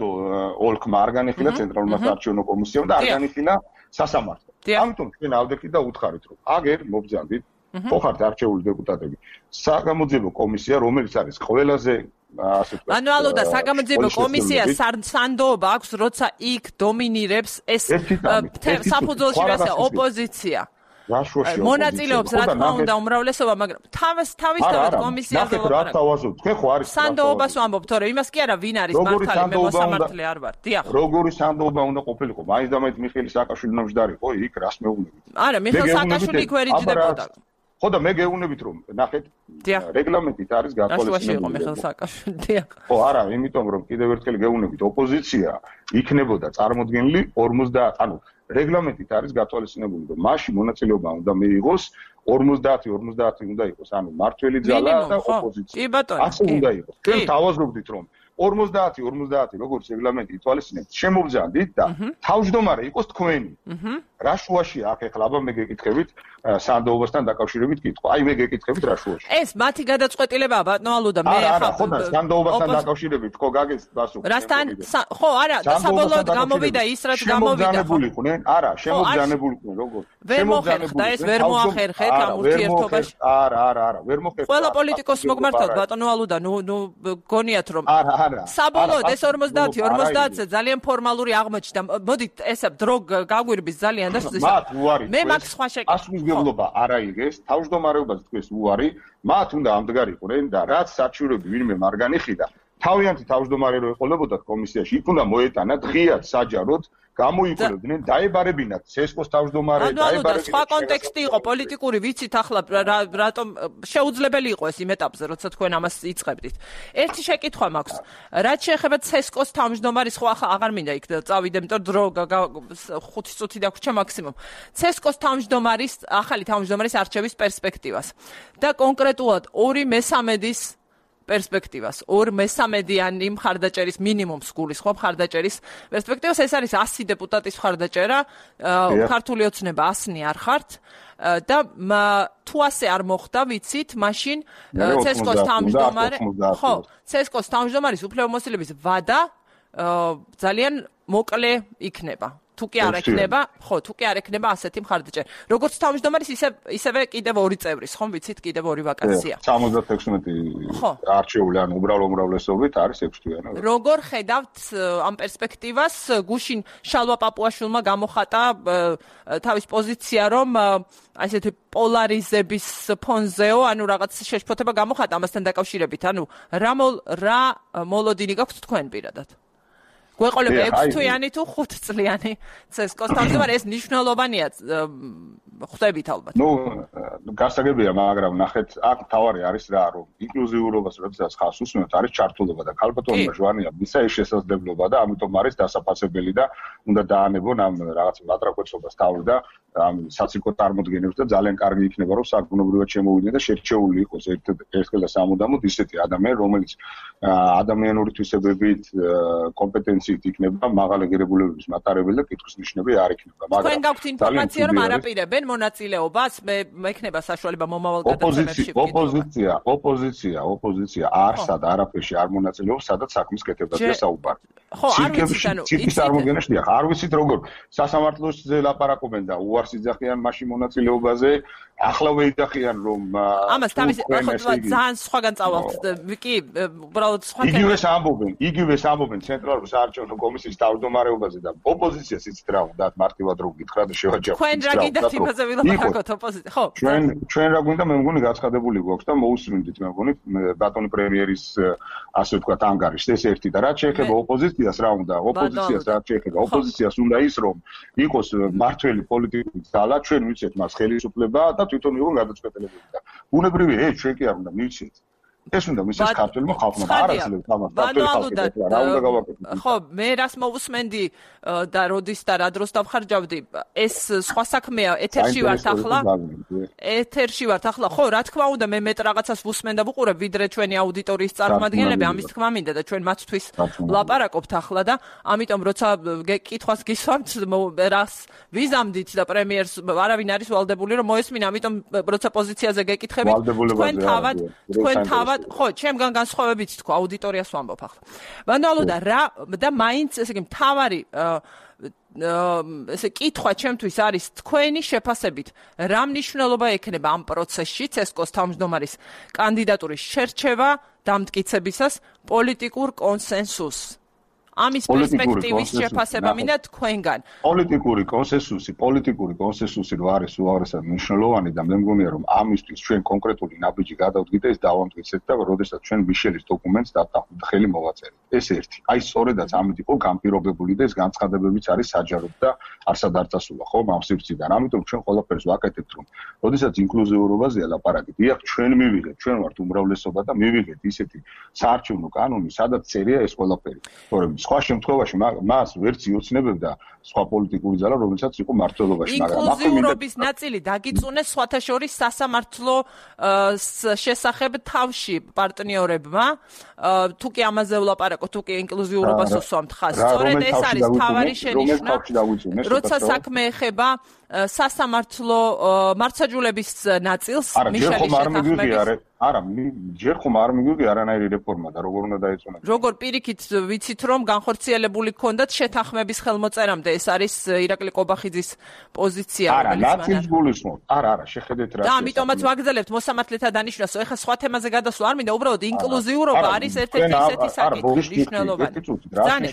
ოლქმა არ განიხილა ცენტრალურმა საარჩევნო კომისიამ და არ განიხილა სასამართლო. ამიტომ ჩვენ ავდექით და უთხარით, რომ აგერ მობრძანდით ხო ხართ არჩეული დეპუტატები. საგამოძიებო კომისია, რომელიც არის ყველაზე ანუ ალოდა საგამოძიებო კომისია სანდოობა აქვს, როცა იქ დომინირებს ეს საფუძველში რასა ოპოზიცია. მონაწილეობს რა თქმა უნდა უმრავლესობა, მაგრამ თავისთავად კომისიაზე ვაპარაკობთ. თქვენ ხო არის სანდოობას ვამბობთ, თორე იმას კი არა, ვინ არის მართალი, მე მოსამართლე არ ვარ. დიახ. როგორი სანდოობა უნდა ყოფილიყო? მაინც და მაინც მიხეილ სააკაშვილი ნამჯდარიყო იქ რას მეუბნებით? არა, მიხეილ სააკაშვილი იქ ვერ იჯდებოდა. ხო და მე გეუბნებით რომ ნახეთ რეგლამენტით არის გათვალისწინებული მიხეილ სააკაშვილი. დიახ. ხო არა, იმიტომ რომ კიდევ ერთხელ გეუბნებით ოპოზიცია იქნებოდა წარმოდგენილი 50, ანუ რეგლამენტით არის გათვალისწინებული რომ მასში მონაწილეობა უნდა მიიღოს 50 უნდა იყოს, ანუ მართველი ძალა და ოპოზიცია. კი ბატონო. ასე უნდა იყოს. ჩვენ თავაზობდით რომ 50 როგორც რეგლამენტი ითვალისწინებთ, შემოვძანდით და თავმჯდომარე იყოს თქვენი. რა შუაშია აქ ეხლა აბა მე გეკითხებით სანდოობასთან დაკავშირებით კითხვა. აი მე გეკითხებით რა შუაშია. ეს მათი გადაწყვეტილებაა ბატონო ალუდა, მე ახლა ხო და სანდოობასთან დაკავშირებით ხო გაგეს პასუხი. რასთან ხო არა, საბოლოოდ გამოვიდა ის რაც გამოვიდა. შემოგზანებულიყვნენ? არა, შემოგზანებულიყვნენ როგორ? ვერ მოხერხდა ეს, ვერ მოახერხეთ ამ ურთიერთობაში. არა, ვერ მოხერხდა. ყველა პოლიტიკოსს მოგმართავთ ბატონო ალუდა, ნუ გონიათ რომ საბოლოოდ ეს 50-ზე ძალიან ფორმალური აღმოჩნდა. მოდით ესა დრო გაგვირბის ძალიან და მათ უარი მე მაგ სხვა შეკითხვა. ასმისგებლობა არ აიღეს, თავმჯდომარეობაზე თქვენს უარი, მათ უნდა ამდღარიყვნენ და რაც საჩივრები ვინმე არ განიხიდა, თავიანთი თავმჯდომარე რო ეყოლებოდათ კომისიაში, იქ უნდა მოეტანათ ღიად საჯაროდ გამოიყურებდნენ, დაებარებინათ ცესკოს თავმჯდომარე, დაებარებინათ. სხვა კონტექსტი იყო პოლიტიკური, ვიცით ახლა რატომ შეუძლებელი იყო ეს იმ ეტაპზე, როცა თქვენ ამას იწყებდით. ერთი შეკითხვა მაქვს. რაც შეეხება ცესკოს თავმჯდომარის, ხო ახლა აღარ მინდა იქ წავიდე, იმიტომ დრო 5 წუთი დაგვრჩა მაქსიმუმ. ცესკოს თავმჯდომარის, ახალი თავმჯდომარის არჩევის პერსპექტივას და კონკრეტულად 2/3 პერსპექტივას, 2/3-იანი მხარდაჭერის მინიმუმს გულისხმობ მხარდაჭერის პერსპექტივას, ეს არის 100 დეპუტატის მხარდაჭერა, ქართული ოცნება 100 არ ხართ და თუ ასე არ მოხდა, ვიცით, მაშინ CSKO-ს თავმჯდომარე, ხო, CSKO-ს თავმჯდომარის უფლებამოსილების ვადა ძალიან მოკლე იქნება. თუ კი არ ექნება, ხო, თუ კი არ ექნება ასეთი მხარდაჭერა. როგორც თავმჯდომარის, ისევე კიდევ 2 წევრის, ხომ ვიცით, კიდევ 2 ვაკანსია. 76 არჩეული, ანუ უმრავლესობით არის 6 თვიანი. როგორ ხედავთ ამ პერსპექტივას? გუშინ შალვა პაპუაშვილმა გამოხატა თავის პოზიცია, რომ აი ესეთი პოლარიზების ფონზეო, ანუ რაღაც შეშფოთება გამოხატა ამასთან დაკავშირებით. ანუ რა მოლოდინი გაქვთ თქვენ პირადად? გვეყოლება 6 თვიანი თუ 5 წლიანი CSKO-ს თავმჯდომარე, ეს მნიშვნელოვანია, ხვდებით ალბათ. გასაგებია, მაგრამ ნახეთ, აქ თავარი არის რა, რომ ინკლუზიურობას როდესაც ხავს უსმენთ, არის ჩართულობა და ქალბატონმა ჟვანია მისა ეს შესაძლებლობა და ამიტომ არის დასაფასებელი და უნდა დაანებონ ამ რაღაც მატრაკოცობას თავი და ამ საციკო წარმოდგენებს და ძალიან კარგი იქნება, რომ საგუნებრივად შემოვიდნენ და შერჩეული იყოს ერთხელ და სამუდამოდ ისეთი ადამიანი, რომელიც ადამიანური თვისებებით, კომპეტენციით იქნება მაღალი ღირებულებების მატარებელი და კითხვის ნიშნები არ იქნება. მაგრამ თქვენ გაქვთ ინფორმაცია, რომ არაპირებენ მონაწილეობას, მექნება საშუალება მომავალ გადაცემებში. ოპოზიცია არსად არაფერში არ მონაწილეობს, სადაც საქმის კეთებაზე საუბარი. ხო, არ ვიცით, ანუ ცირკის წარმოდგენაში დიახ, არ ვიცით როგორ სასამართლოზე ლაპარაკობენ და უარს იძახიან მაშინ მონაწილეობაზე, ახლა ვეიდახიან რომ ამას თავის ძალიან სხვაგან წავალთ. კი, უბრალოდ სხვა იგივეს ამბობენ ცენტრალურ საარჩევნო კომისიის თავმჯდომარეობაზე და ოპოზიციას იცით რა უნდა მარტივად რო გითხრა და შევაჯამოთ. თქვენ რა გინდათ იმაზე ვილაპარაკოთ ოპოზიცია? ხო. ჩვენ რა გვინდა, მე მგონი გაცხადებული გვაქვს და მოусმინდით მე მგონი ბატონი პრემიერის ასე ვთქვათ ანგარიშს ეს ერთი და რაც შეეხება ოპოზიციას რა უნდა? ოპოზიციას უნდა ის რომ იყოს მართველი პოლიტიკური ძალა, ჩვენ ვიცეთ მას ხელისუფლება და თვითონ იყო გადაწყვეტილებული და ბუნებრივია ეს ჩვენ კი არ უნდა მივცეთ. ეს უნდა მისცეს ქართველმა ხალხმა და არასდროს თამარ ქართველ ხალხს რა უნდა გავაკეთოთ. ხო, მე რას მოვუსმენდი და როდის და რა დროს დავხარჯავდი, ეს სხვა საქმეა, ეთერში ვართ ახლა. ხო, რა თქმა უნდა, მე მეტ რაღაცას ვუსმენ და ვუყურებ, ვიდრე ჩვენი აუდიტორიის წარმომადგენლები, ამის თქმა მინდა და ჩვენ მათთვის ვლაპარაკობთ ახლა და ამიტომ როცა კითხვას გისვამთ, რას ვიზამდით და პრემიერს არავინ არის ვალდებული რომ მოესმინა, ამიტომ როცა პოზიციაზე გეკითხებით, თქვენ თავად ხო, ჩემგან განსხვავებით თქვა, აუდიტორიას ვამბობ ახლა. ბანალო და რა და მაინც ესე იგი მთავარი ესე კითხვა ჩემთვის არის თქვენი შეფასებით, რა მნიშვნელობა ექნება ამ პროცესში CSKO-ს თავმჯდომარის კანდიდატურის შერჩევა დამტკიცებისას პოლიტიკურ კონსენსუსს. ამის პერსპექტივის შეფასება მინდა თქვენგან. პოლიტიკური კონსენსუსი რო არის უაღრესად მნიშვნელოვანი და მე მგონია რომ ამისთვის ჩვენ კონკრეტული ნაბიჯი გადავდგეთ ეს დავამტკიცეთ და როდესაც ჩვენ მიშელის დოკუმენტს დავтахოთ ხელი მოვაწერეთ. ეს ერთი. აი სწორედაც ამით იყო განპირობებული და ეს განცხადებებიც არის საჯაროდ და არსად არ წასულა ხო ამ სივრციდან. ამიტომ ჩვენ ყველაფერს ვაკეთებთ რომ როდესაც ინკლუზიურობაზეა ლაპარაკი, დიახ ჩვენ მივიღეთ, ჩვენ ვართ უმრავლესობა და მივიღეთ ისეთი საარჩევნო კანონი, სადაც წერია ეს ყველაფერი. თორემ სხვა შემთხვევაში მას ვერც იოცნებებდა სხვა პოლიტიკური ძალა, რომელსაც იყო მართლობაში, მაგრამ ინკლუზიურობის ნაწილი დაგიწუნეს სხვათა შორის სასამართლო შესახებ თავში პარტნიორებმა, თუ კი ამაზე ვლაპარაკობ, თუ კი ინკლუზიურობას უსვამთ ხაზს. სწორედ ეს არის თავარი შენიშვნა, როცა საქმე ეხება სასამართლო მართლმსაჯულების ნაწილს, მიშელის შეთანხმების არა, ჯერ ხომ არ მიგვიგია არანაირი რეფორმა და როგორ უნდა დაეწონა. როგორ პირიქით ვიცით რომ განხორციელებული ქონდათ შეთანხმების ხელმოწერამდე, ეს არის ირაკლი ყობახიძის პოზიცია, რომელიც მან. არა, გულისხმობ. არა, შეხედეთ რა. და ამიტომაც ვაგრძელებთ მოსამართლეთა დანიშვნას. ეხლა სხვა თემაზე გადასვლა არ მინდა, უბრალოდ ინკლუზიურობა არის ერთ-ერთი ისეთი საკითხი მნიშვნელოვანი.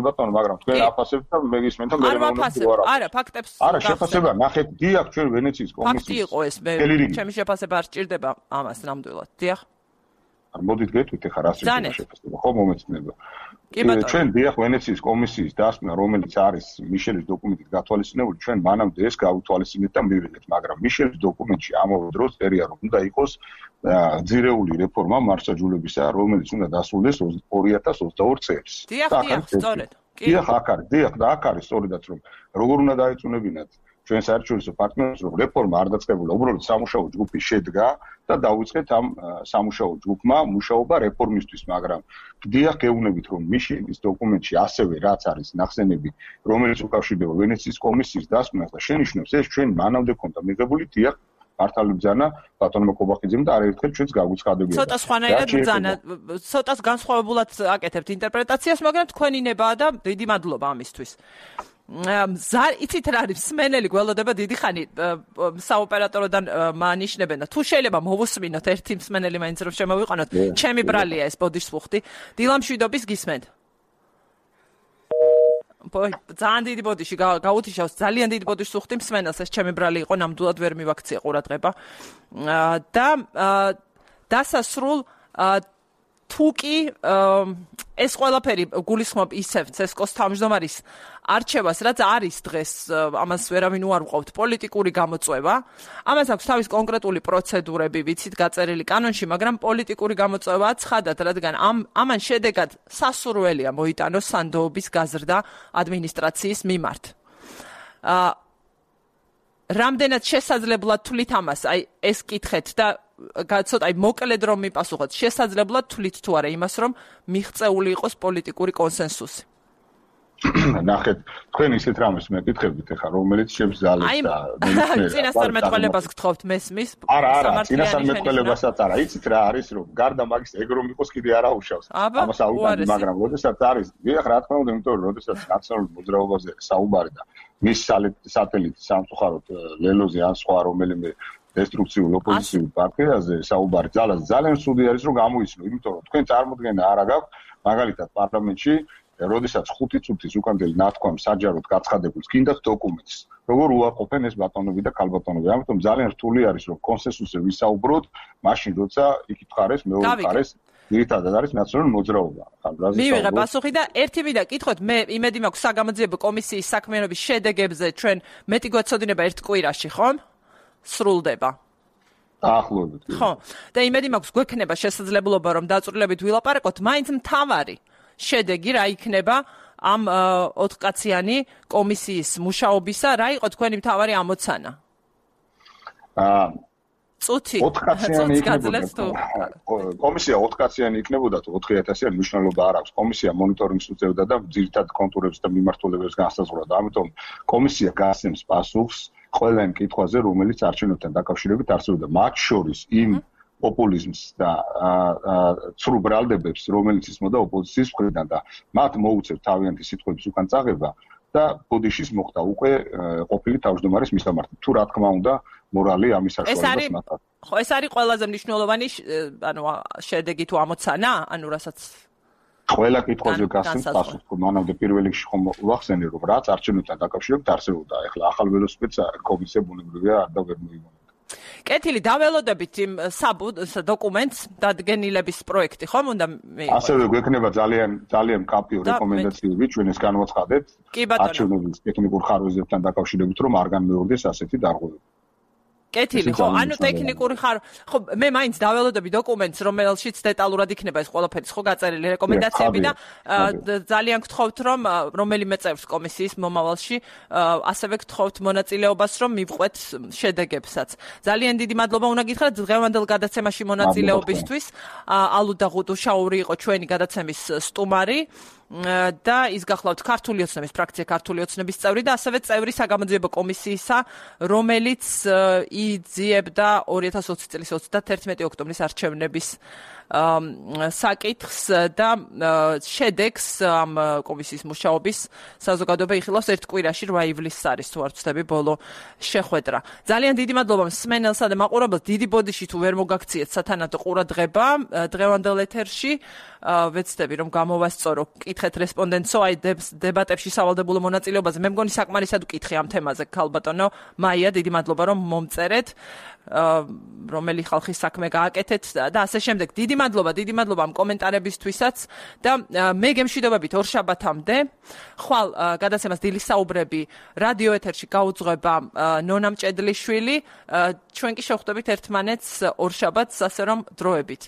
ბატონო, მაგრამ თქვენ აფასებთ და მე გისმენთ და მე არა, ფაქტებს არა, შეფასება ნახეთ, დიახ, ჩვენ ვენეციის კომისიის. ფაქტი იყო ეს, ჩემი შეფასება არ სჭირდება ამას ნამდვილად. დიახ. არ მოდით გეტყვით ახლა რა შეფასება, ხო მომეწონება. ჩვენ დიახ ვენეციის კომისიის დასკვნა, რომელიც არის მიშელის დოკუმენტით გათვალისწინებული, ჩვენ მანამდე ეს გავუთვალისწინეთ და მივიღეთ, მაგრამ მიშელის დოკუმენტში ამავე დროს წერია, რომ უნდა იყოს ძირეული რეფორმა მართლმსაჯულებისა, რომელიც უნდა დასრულდეს 2022 წელს. დიახ, სწორედ. დიახ, აქ არის, და აქ არის სწორედაც რომ როგორ უნდა დაეწუნებინათ ჩვენ საერთაშორისო პარტნიორებს რომ რეფორმა არ დაწყებულა, უბრალოდ სამუშაო ჯგუფი შედგა და დაუწყეთ ამ სამუშაო ჯგუფმა მუშაობა რეფორმისთვის, მაგრამ გდია გეუბნებით რომ მიშელის დოკუმენტში ასევე რაც არის ნახსენები, რომელიც უკავშირდება ვენეციის კომისიის დასკვნას და შენიშნავს ეს ჩვენ მანამდე ქონდა მიღებული დიახ მართალი ბრძანა ბატონმა კობახიძემ და არაერთხელ ჩვენს გაგვიცხადებია. ცოტა სხვანაირად ბრძანა, ცოტას განსხვავებულად აკეთებთ ინტერპრეტაციას, მაგრამ თქვენი ნებაა და დიდი მადლობა ამისთვის. იცით რა არის მსმენელი გველოდება დიდი ხანი საოპერატოროდან მანიშნებენ და თუ შეიძლება მოვუსმინოთ ერთი მსმენელი მაინც რომ შემოვიყანოთ, ჩემი ბრალია ეს ბოდიშსუხტი, დილამშვიდობის გისმენთ. ძალიან დიდი ბოდიში გაუთიშავს, ძალიან დიდი ბოდიში სუხტი მსმენელს, ეს ჩემი ბრალი იყო, ნამდვილად ვერ მივაქცია ყურადღება. და დასასრულ თუკი ეს ყველაფერი გულისხმობ ისევ ცესკოს თავმჯდომარის არჩევას, რაც არის დღეს, ამას ვერავინ უარყოფთ, პოლიტიკური გამოწვევა. ამას აქვს თავის კონკრეტული პროცედურები, ვიცით, გაწერილი კანონში, მაგრამ პოლიტიკური გამოწვევაა ცხადად, რადგან ამან შედეგად სასურველია მოიტანოს სანდოობის გაზრდა ადმინისტრაციის მიმართ. რამდენად შესაძლებლად თვლით ამას, აი ეს კითხეთ და ცოტა მოკლედ რომ მიპასუხოთ, შესაძლებლად თვლით თუ არა იმას, რომ მიღწეული იყოს პოლიტიკური კონსენსუსი. ნახეთ, თქვენ ისეთ რამეს მეკითხებით ახლა, რომელიც შემსძალებს და წინასწარმეტყველებას გთხოვთ მესმის. არა, წინასწარმეტყველებასაც არა, იცით რა არის, რომ გარდა მაგის ეგრომ იყოს კიდე არა უშავს. ამას აუგანი, მაგრამ როდესაც არის, დიახ, რა თქმა უნდა, იმიტომ რომ როდესაც ნაციონალურ მოძრაობაზე საუბარი და მის სატელიტ სამწუხაროდ ლელოზე ან სხვა რომელიმე დესტრუქციულ ოპოზიციურ პარტიაზე საუბარი ძალიან სუდი არის რომ გამოიცნო, იმიტომ რომ თქვენ წარმოდგენა არ აქვს, მაგალითად პარლამენტში როდესაც 5 წუთის უკანდელი ნათქვამ საჯაროდ გაცხადებულს გინდათ დოკუმენტს, როგორ უარყოფენ ეს ბატონები და ქალბატონები. ამიტომ ძალიან რთული არის რომ კონსენსუსზე ვისაუბროთ, მაშინ როცა იკითხარეს მეორე მხარეს ერთადად არის ნაციონალური მოძრაობა. მივიღე პასუხი და ერთი მინდა კითხოთ, მე იმედი მაქვს საგამოძიებო კომისიის საქმიანობის შედეგებზე ჩვენ მეტი გვეცოდინება ერთ კვირაში, ხომ? სრულდება. დაახლოებით. ხო. და იმედი მაქვს გვექნება შესაძლებლობა რომ დაწვრილებით ვილაპარაკოთ, მაინც მთავარი შედეგი რა იქნება ამ 4 კაციანი კომისიის მუშაობისა, რა იყო თქვენი მთავარი ამოცანა? წუთი 4 კაციანი იქნებოდა. კომისია 4 კაციანი იქნებოდა თუ 4000-იანი მნიშვნელობა არ აქვს. კომისია მონიტორინგს უწევდა და ძირითად კონტურებს და მიმართულებებს განსაზღვრავდა. ამიტომ კომისია გასცემს პასუხს ყველა იმ კითხვაზე, რომელიც არჩევნებთან დაკავშირებით არსებობდა, მათ შორის იმ პოპულიზმს და ცრუ ბრალდებებს, რომელიც ისმოდა ოპოზიციის მხრიდან და მათ მოუწევთ თავიანთი სიტყვების უკან წაღება და ბოდიშის მოხდა უკვე ყოფილი თავმჯდომარის მისამართი. თუ რა თქმა უნდა, მორალი ამის საშუალებას მათაც. ხო, ეს არის ყველაზე მნიშვნელოვანი, ანუ შედეგი თუ ამოცანა, ანუ რასაც ყველა კითხვაზე გასცემს პასუხს. მანამდე პირველ რიგში ხომ ვახსენე, რომ რაც არჩევნებთან დაკავშირებით არსებობდა, ეხლა ახალ ველოსიპედს კომისია ბუნებრივია არ და ვერ მოიმონა. კეთილი, დაველოდებით იმ დოკუმენტს, დადგენილების პროექტი, ხომ უნდა მიიღოს? ასევე გვექნება ძალიან კაპიო რეკომენდაციები, ჩვენ ეს განვაცხადეთ არჩევნების ტექნიკურ ხარვეზებთან დაკავშირებით, რომ არ განმეორდეს ასეთი დარღვევები. კეთილი, ხო, ანუ ტექნიკური ხო, მე მაინც დაველოდები დოკუმენტს, რომელშიც დეტალურად იქნება ეს ყველაფერი, ხო, გაწერილი რეკომენდაციები და ძალიან გთხოვთ, რომ რომელიმე წევრს კომისიის მომავალში ასევე გთხოვთ მონაწილეობას, რომ მივყვეთ შედეგებსაც. ძალიან დიდი მადლობა უნდა გითხრათ დღევანდელ გადაცემაში მონაწილეობისთვის. ალუ და ღუდუშაური იყო ჩვენი გადაცემის სტუმარი. და ის გახლავთ ქართული ოცნების ფრაქცია ქართული ოცნების წევრი და ასევე წევრი საგამოძიებო კომისიისა, რომელიც იძიებდა 2020 წლის 31 ოქტომბრის არჩევნების საკითხს და შედეგს ამ კომისიის მუშაობის საზოგადოება იხილავს ერთ კვირაში 8 ივლისს არის თუ არ ვცდები ბოლო შეხვედრა. ძალიან დიდი მადლობა მსმენელსა და მაყურებელს, დიდი ბოდიში თუ ვერ მოგაქციეთ სათანადო ყურადღება დღევანდელ ეთერში. ვეცდები რომ გამოვასწორო, კითხეთ რესპონდენტსო, აი დებატებში სავალდებულო მონაწილეობაზე. მე მგონი საკმარისად ვკითხე ამ თემაზე, ქალბატონო მაია, დიდი მადლობა რომ მომწერეთ, რომელი ხალხის საქმე გააკეთეთ და ასე შემდეგ. დიდი მადლობა ამ კომენტარებისთვისაც და მე გემშვიდობებით ორშაბათამდე. ხვალ გადაცემას დილის საუბრები რადიო ეთერში გაუძღვება ნონა მჭედლიშვილი. ჩვენ კი შევხვდებით ერთმანეთს ორშაბათს, ასე რომ დროებით.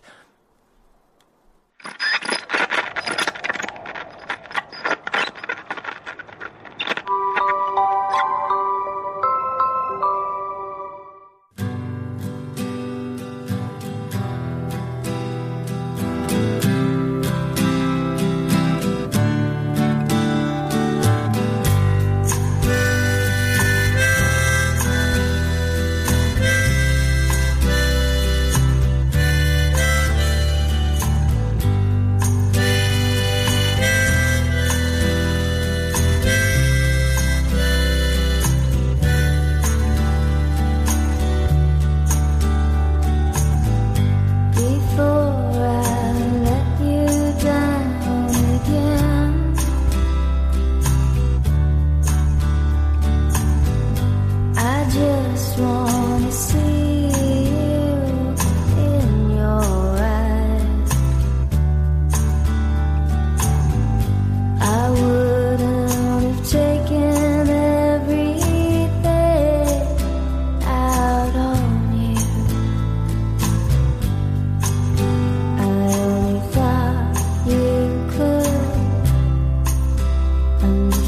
Thank you.